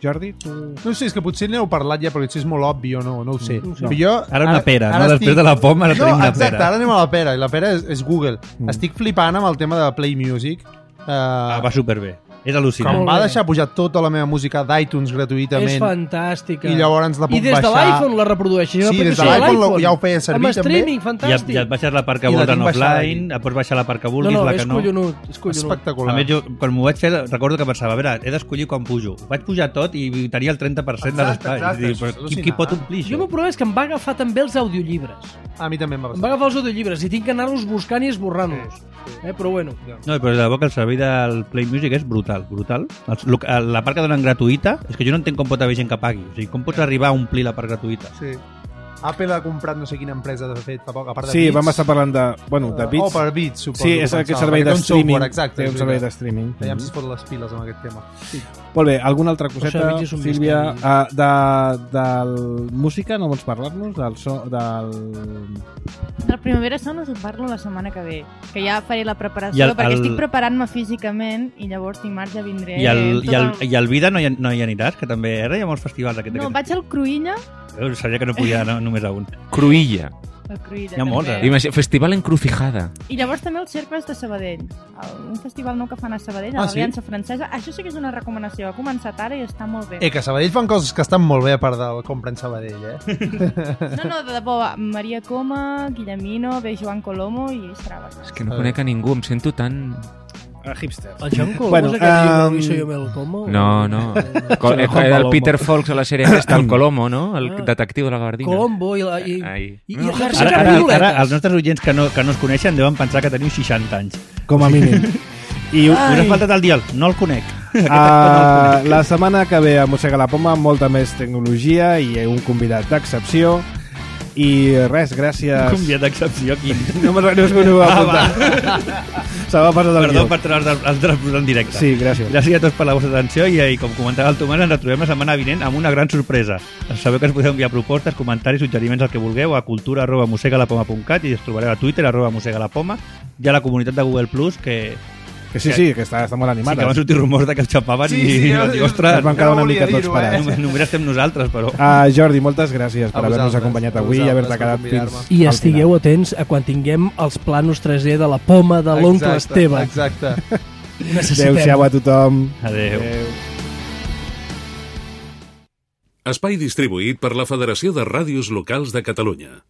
Jordi, tu... No sé, és que potser n'heu parlat ja, però potser és molt obvi o no, no ho sé. No. Però Jo, Ara una pera, no? Després de la poma, ara no, tenim una exacte, pera. ara anem a la pera, i la pera és, és Google. Mm. Estic flipant amb el tema de Play Music. Uh, Ah, va superbé. És que al·lucinant. em va deixar pujar tota la meva música d'iTunes gratuïtament. És fantàstica. I llavors la puc I des de baixar. l'iPhone la reprodueixes. Sí, des de l'iPhone ja ho feia servir, amb streaming, també. I, fantàstic. i et baixes la part que I la vols en tinc baixada offline, et pots baixar la part que No, vulguis, no, la és que no. collonut. És collonut. Espectacular. A més, jo, quan m'ho vaig fer, recordo que pensava, a veure, he d'escollir quan pujo. Vaig pujar tot i tenia el trenta per cent de Exacte, l'espai. exacte, Dic, això és però qui, qui al·lucinant. pot omplir Jo això? m'ho problema és que em va agafar també els audiollibres. A mi també em va Em va passar. agafar els audiollibres i tinc que anar-los buscant i esborrant-los. Eh, però bueno. No, però de debò que el servei del Play Music és brutal, brutal. Els- lo- La part que donen gratuïta, és que jo no entenc com pot haver gent que pagui. O sigui, com pots arribar a omplir la part gratuïta? Sí. Apple ha comprat no sé quina empresa de fet fa poc, a part de Sí, Beats. vam estar parlant de... Bueno, de Beats. Oh, per Beats, suposo. Sí, que és aquest pensava, servei perquè té de un streaming. software, exacte, Té un és servei de veritat. streaming. Veiem si es fot les piles amb aquest tema. Sí. Molt bé, alguna altra O coseta, sigui, és un Sílvia? misteri. Uh, de, del música, no vols parlar-nos? Del so, del... Del Primavera Sound us en parlo la setmana que ve, que ja faré la preparació, I el- perquè el- estic preparant-me físicament i llavors dimarts ja vindré. I el, tot i, el, el- I el Vida no hi, no hi aniràs, que també ara hi ha molts festivals aquest. No, aquest... vaig al Cruïlla, Veus, sabia que no podia anar només a un. Cruïlla. al Cruïlla Hi ha molts, també. Imagina, Festival Encrucijada. I llavors també els cercles de Sabadell. El, un festival nou que fan a Sabadell, a Ah, sí? l'Aliança Francesa. Això sí que és una recomanació. Ha començat ara i està molt bé. Eh, que a Sabadell fan coses que estan molt bé a part del compra en Sabadell, eh? No, no, de debò, va. Maria Coma, Guillemino, ve Joan Colomo i serà bastant. És que no conec a ningú, em sento tan... Uh, hipsters. El Joan Colom Bueno, és aquell llibre um, Luis Soy el Como? No, no. Co- Sí, eh, Juan Era el Palomo. Peter Fox a la sèrie aquesta, el Colomo, no? El Ah. detectiu de la Gabardina. Colombo i, la, i, Ai. i, i No, ejerce Ara, ara, capioletes. ara, els nostres oients que no, que no es coneixen deuen pensar que teniu seixanta anys. Com a mínim. I Us ha faltat el dial, no el conec. Aquest actor uh, no el conec. la setmana que ve a Mossega la Poma, molta més tecnologia i un convidat d'excepció. I res, gràcies... Un convidat d'excepció, quin? No me'n no, no, no, Ah, no, Se m'ha passat el Perdó guió. per treure els, els drets en directe. Sí, gràcies. Gràcies a tots per la vostra atenció i, i com comentava el Tomàs, ens retrobem la setmana vinent amb una gran sorpresa. Sabeu que ens podeu enviar propostes, comentaris, suggeriments, el que vulgueu a cultura arroba mosegalapoma punt cat i ens trobareu a Twitter arroba mosegalapoma. Hi ha la comunitat de Google Plus que, Que sí, sí, que està, està molt sí, animada. que van sortir rumors de que el xapaven Sí, i, sí, i jo- vaig dir, jo- ostres, Es van quedar no una volia mica tots dir-ho, eh? parats. només, només estem nosaltres, però... Uh, Jordi, moltes gràcies per A haver-nos vosaltres, acompanyat a avui i haver-te vosaltres per quedat convidar-me. fins I al estigueu final. atents a quan tinguem els planos tres D de la poma de l'oncle Exacte, Esteve. Exacte. Ho necessitem. Adéu-siau a tothom. Adéu. Adéu. Espai distribuït per la Federació de Ràdios Locals de Catalunya.